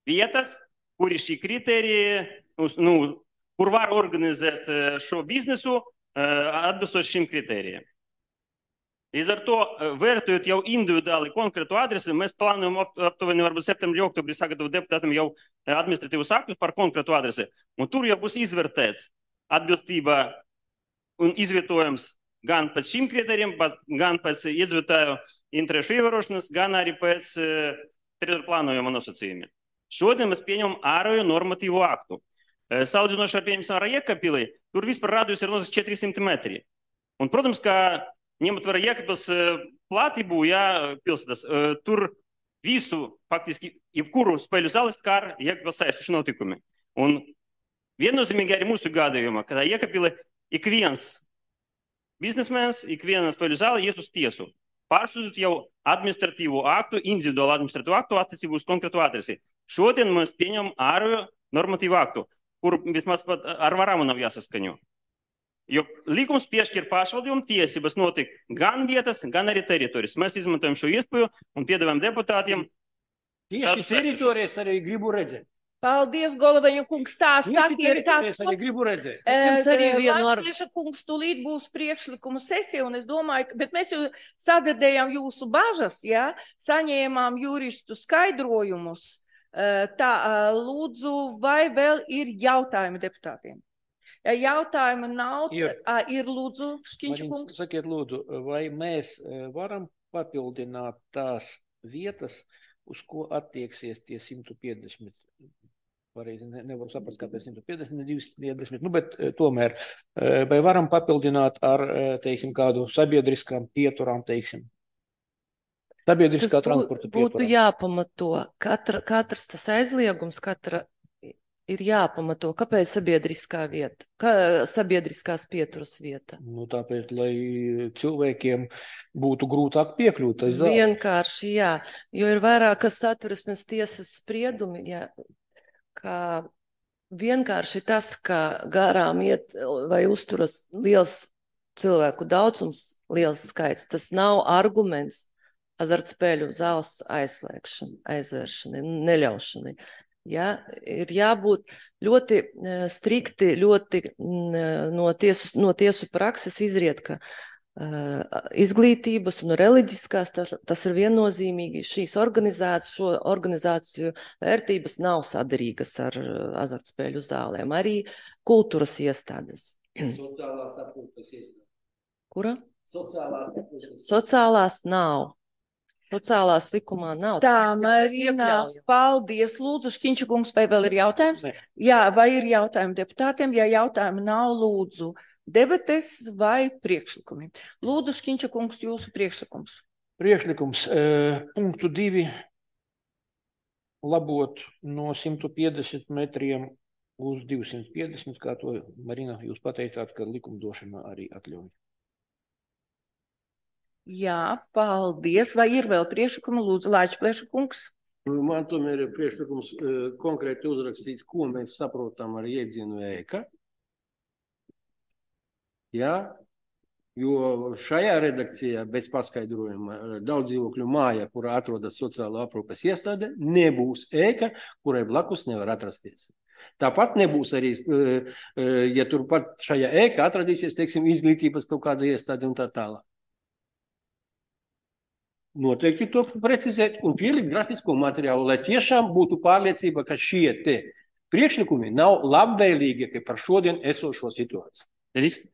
vietas, kur ir šī kritērija, uz- nu, kur var organizēt eh, šo biznesu eh, atbilstoši šim kritērijiem. Līdz ar to, eh, vērtējot jau individuāli konkrētu adresi, mēs plānojam ap- aptuveni varbūt septembrī, oktobrī sagatavot deputātam jau eh, administratīvus aktus par konkrētu adresi. Un tur jau būs izvērtēts atbilstība un izvietojums gan pēc šim kritērijiem, ba- gan pēc iedzīvotāju interešu ievērošanas, gan arī pēc uh, teritoru plānojuma nosacījumiem. Šodien mēs pieņemam ārējo normatīvu aktu. Uh, Salīdzinoši ar pieņemsim ar Jēkabpili, tur vispār radius ir noteikts četri simti metri. Un, protams, ka ņemot vērā Jēkabpils uh, platību, jā, pilsētas, uh, tur visu, faktiski, jebkuru spēļu zāli skar Jēkabpils saistoši notikumi. Un viennozīmīgi arī mūsu gadījumā, kad Jēkabpili ik viens biznesmens, ik viena spēļu zāle ies uz tiesu. Pārsūtīt jau administratīvu aktu, individuālu administratīvu aktu attiecībā uz konkrētu adresi. Šodien mēs pieņemam ārējo normatīvu aktu, kur vismaz pat ar varamu nav jāsaskaņo. Jo likums piešķir pašvaldībām tiesības noteikt gan vietas, gan arī teritorijas. Mēs izmantojam šo iespēju un piedāvājam deputātiem Tieši šādus teritorijas arī gribu redzēt. Paldies, Golavaņa kungs. Tā Tieši sakiet, tā. teritorijas arī gribu redzēt. Es jums arī vienu ar- Latvieša kungs tūlīt būs priekšlikumu sesija, un es domāju, ka, bet mēs jau sadzirdējām jūsu bažas, jā, saņēmām juristu skaidrojumus. Eh, Tā, eh, lūdzu, vai vēl ir jautājumi deputātiem? Ja jautājumu nav, Ir. ā, ir lūdzu, Škiņš Marina, kungs. sakiet, lūdzu, vai mēs eh, varam papildināt tās vietas, uz ko attieksies tie simt piecdesmit? Pareizi ne, nevaru saprast, kāpēc simt piecdesmit, ne divsimt piecdesmit, nu, bet eh, tomēr, eh, vai varam papildināt ar, eh, teiksim, kādu sabiedriskām pieturām, teiksim? Tas Sabiedriskā bū- transporta būtu pieturām. jāpamato. Katra, katrs tas aizliegums, katra ir jāpamato. Kāpēc sabiedriskā vieta? Kā sabiedriskās pieturas vieta? Nu, tāpēc, lai cilvēkiem būtu grūtāk piekļūt tai zālei. Vienkārši, jā. Jo ir vairākas satversmes tiesas spriedumi, jā, ka vienkārši tas, ka garām iet vai uzturas liels cilvēku daudzums, liels skaits, tas nav arguments azartspēļu zāles aizslēgšanai, aizvēršanai, neļaušanai. Ja, ir jābūt ļoti eh, strikti, ļoti mm, no tiesu, no tiesu prakses izriet, ka izglītības un reliģiskās, tas, tas ir viennozīmīgi. Šīs organizācijas, šo organizāciju vērtības nav sadarīgas ar azartspēļu zālēm, arī kultūras iestādes. Sociālās aprūpes iestādes. Kura? Sociālās aprūpes. Sociālās nav. Sociālās likumā nav. Tā, Marina, paldies. Lūdzu, Šķiņčakungs, vai vēl ir jautājums? Ne. Jā, vai ir jautājumi deputātiem? Ja jautājumi nav, lūdzu, debates vai priekšlikumi? Lūdzu, Šķiņčakungs, jūsu priekšlikums. Priekšlikums eh, punktu divi labot no simt piecdesmit metriem uz divsimt piecdesmit, kā to, Marina, jūs pateicāt, ka likumdošana arī atļauj. Jā, paldies. Vai ir vēl priekšlikumi? Lūdzu, Laičplēša-kungs. Man tomēr ir priekšlikums konkrēti uzrakstīts, ko mēs saprotam ar iedzienu ēka. Jā, jo šajā redakcijā bez paskaidrojuma daudz dzīvokļu māja, kurā atrodas sociālo aprūpes iestāde, nebūs ēka, kurai blakus nevar atrasties. Tāpat nebūs arī, ja turpat šajā ēka atradīsies, teiksim, izglītības kaut kāda iestāde un tā tālāk. Noteikti to precizēt un pielikt grafisko materiālu, lai tiešām būtu pārliecība, ka šie te priekšlikumi nav labvēlīgi par šodien esošo situāciju. Drīkst?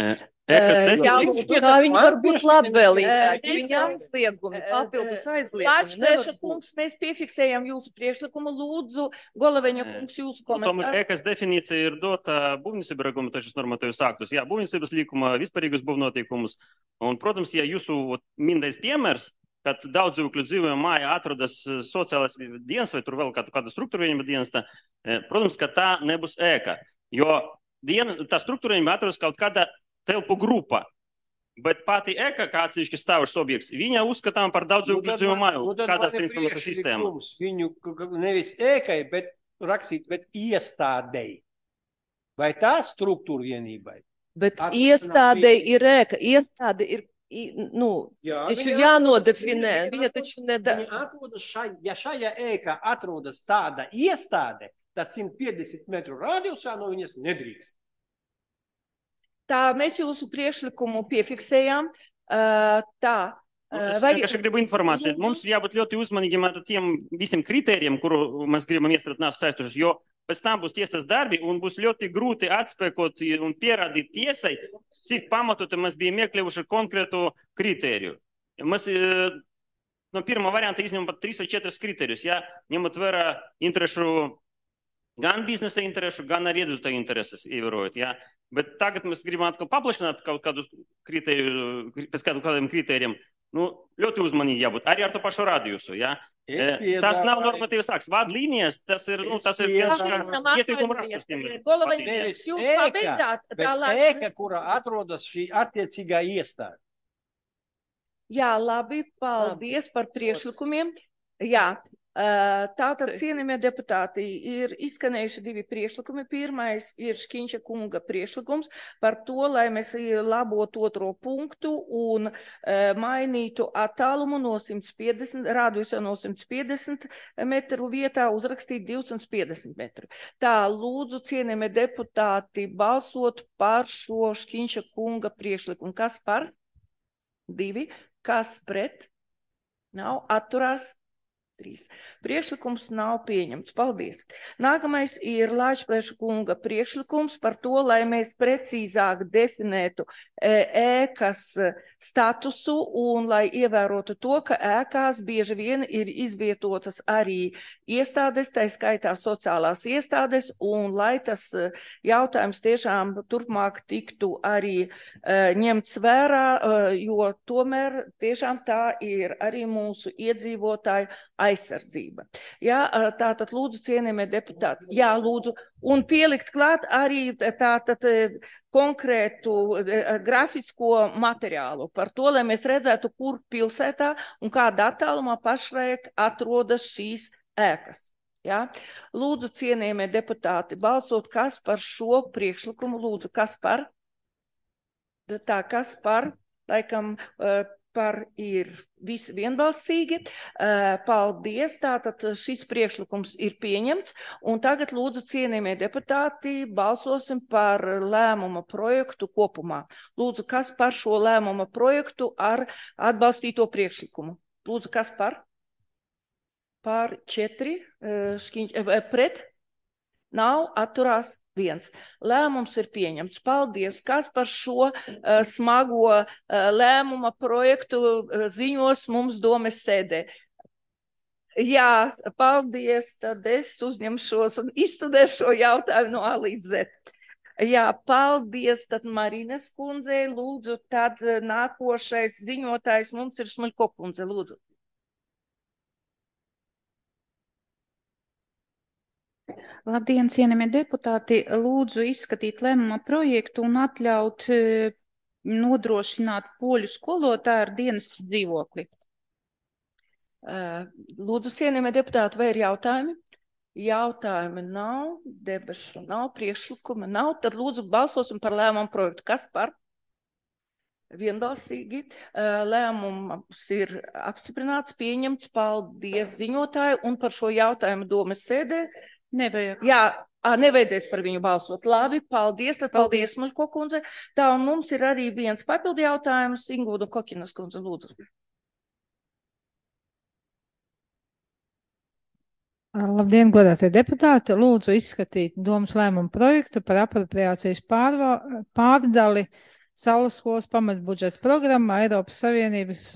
Jā, viņi var būt labvēlīgi. Viņi aizliegumi, papildus aizliegumi. Laičplēša-kungs, mēs piefiksējam jūsu priekšlikumu. Lūdzu, Goloveņa-kungs, jūsu komentāru. Tomēr ēkas definīcija ir dota būvniecības regulamentos normatīvas aktus. Jā, būvniecības likuma, vispārīgus būvnotiekumus. Un, protams, ja jūsu minētais piemērs, kad daudz dzīvokļu dzīvojuma mājā atrodas sociālais dienas vai tur vēl kāda, kāda struktūrējuma dienesta, protams, ka tā nebūs ēka, jo diena, tā struktūrējuma atrodas kaut kāda telpu grupa, bet pati ēka, kā atsevišķi stāvošs objekts, viņa uzskatām par daudz dzīvokļu dzīvojuma māju, nu, kādas transformācijas sistēma. Viņu nevis ēkai, bet rakstīt, bet iestādei. Vai tā struktūra vienībai? Bet iestādei ir ēka, iestāde ir Nu, Jā, taču jānodefinē, viņa taču nedara. Šai, ja šajā ēkā atrodas tāda iestāde, tad simt piecdesmit metru radiusā no viņas nedrīkst. Tā, mēs jūsu priekšlikumu piefiksējām. Uh, tā. Es vienkārši gribu informāciju. Mums jābūt ļoti uzmanīgiem ar tiem visiem kritērijiem, kuru mēs gribam iestrādāt nav saistošas, jo pēc tam būs tiesas darbi un būs ļoti grūti atspēkot un pierādīt tiesai, cik pamatoti mēs bijām iekļuvuši konkrētu kritēriju. Mēs no pirmā varianta izņemam pat trīs vai četras kritērijus, ja, ņemot vērā interešu, gan biznesa interešu, gan arī iedzīvotāju intereses ievērojot. Ja. Bet tagad mēs gribam atkal paplašināt kaut kādu kritēriju, pēc kādu kādiem kritērijiem. Nu, ļoti uzmanīgi jābūt, arī ar to pašu radiusu. Ja. Piedāvāju... Tas nav normatīvas sāks. Vadlīnijas, tas ir, nu, tas ir viens kā ieteikuma rakstustiem. Goloveņš, jūs pabeidzāt. Bet ēka, kura atrodas šī attiecīgā iestāde. Jā, labi, paldies par priekšlikumiem. Jā. Tātad, cienījamie deputāti, ir izskanējuši divi priekšlikumi. Pirmais ir Šķiņša kunga priekšlikums par to, lai mēs labotu otro punktu un uh, mainītu attālumu no simt piecdesmit, rādījusā no simt piecdesmit metru vietā uzrakstīt divsimt piecdesmit metru. Tā, lūdzu, cienījamie deputāti, balsot par šo Šķiņša kunga priekšlikumu. Kas par? Divi. Kas pret? Nav. Atturās? Trīs. Priekšlikums nav pieņemts. Paldies. Nākamais ir Laičplēša kunga priekšlikums par to, lai mēs precīzāk definētu ēkas statusu un lai ievērotu to, ka ēkās bieži vien ir izvietotas arī iestādes, tā skaitā sociālās iestādes, un lai tas jautājums tiešām turpmāk tiktu arī ņemts vērā, jo tomēr tiešām tā ir arī mūsu iedzīvotāju aizsardzība. Jā, tātad lūdzu, cienījamie deputāti, jā, lūdzu, un pielikt klāt arī tātad konkrētu grafisko materiālu par to, lai mēs redzētu, kur pilsētā un kādā attālumā pašlaik atrodas šīs ēkas. Jā. Lūdzu, cienījamie deputāti, balsot, kas par šo priekšlikumu, lūdzu, kas par? Tā, kas par? Laikam par ir visi vienbalsīgi. Paldies, tātad šis priekšlikums ir pieņemts, un tagad lūdzu cienījamie deputāti balsosim par lēmuma projektu kopumā. Lūdzu, kas par šo lēmuma projektu ar atbalstīto priekšlikumu? Lūdzu, kas par? Par četri, škiņ, pret? Nav, atturās viens. Lēmums ir pieņemts. Paldies, kas par šo uh, smago uh, lēmuma projektu uh, ziņos mums domes sēdē. Jā, paldies, tad es uzņemšos un izstudēšu šo jautājumu no A līdz Z. Jā, paldies, tad Marines kundzei, lūdzu, tad nākošais ziņotājs mums ir Smuļko kundze, lūdzu. Labdien, cienījamie deputāti, lūdzu izskatīt lēmuma projektu un atļaut e, nodrošināt poļu skolotāju ar dienas dzīvokli. Lūdzu, cienījamie deputāti, vai ir jautājumi? Jautājumi nav, debašu nav, priekšlikuma nav, tad lūdzu balsosim par lēmumu projektu. Kas par? Vienbalsīgi. Lēmums ir apstiprināts, pieņemts, paldies ziņotāju, un par šo jautājumu domes sēdē. Nevajag. Jā, nevajadzēs par viņu balsot. Labi, paldies, tad paldies, Smuļko kundze. Tā, un mums ir arī viens papildu jautājums. Ingūda Kokinas kundze, lūdzu. Labdien, godātie deputāti. Lūdzu izskatīt domas lēmumu projektu par apropriācijas pārva, pārdali Saules skolas pamatbudžeta programmā Eiropas Savienības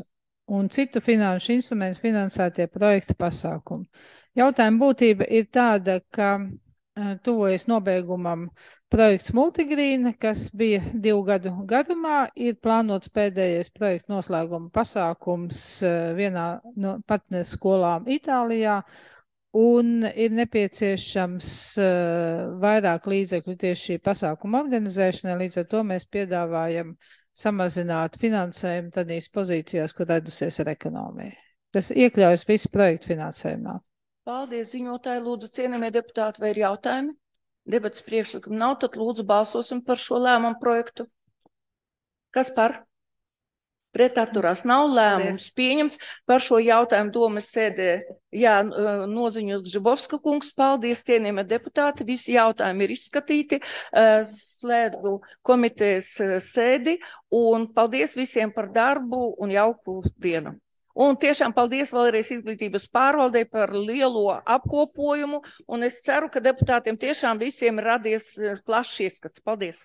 un citu finanšu instrumentu finansētie projekta pasākumi. Jautājuma būtība ir tāda, ka uh, tuvojas nobeigumam projekts Multigrīna, kas bija divu gadu garumā, ir plānots pēdējais projekta noslēguma pasākums uh, vienā no partneru skolām Itālijā, un ir nepieciešams uh, vairāk līdzekļu tieši šī pasākuma organizēšanai, līdz ar to mēs piedāvājam samazināt finansējumu tādīs pozīcijās, kur redusies ar ekonomiju. Tas iekļaujas visu projektu finansējumā. Paldies, ziņotāji. Lūdzu, cienījamie deputāti, vai ir jautājumi? Debats priekšlikumi nav, tad lūdzu balsosim par šo lēmumu projektu. Kas par? Pret atturās nav, lēmums pieņemts. Par šo jautājumu domes sēdē, jā, noziņos Gžibovska kungs. Paldies, cienījamie deputāti. Visi jautājumi ir izskatīti. Slēdzu komitejas sēdi un paldies visiem par darbu un jauku dienu. Un tiešām paldies vēlreiz izglītības pārvaldei par lielo apkopojumu, un es ceru, ka deputātiem tiešām visiem radies plašs ieskats. Paldies!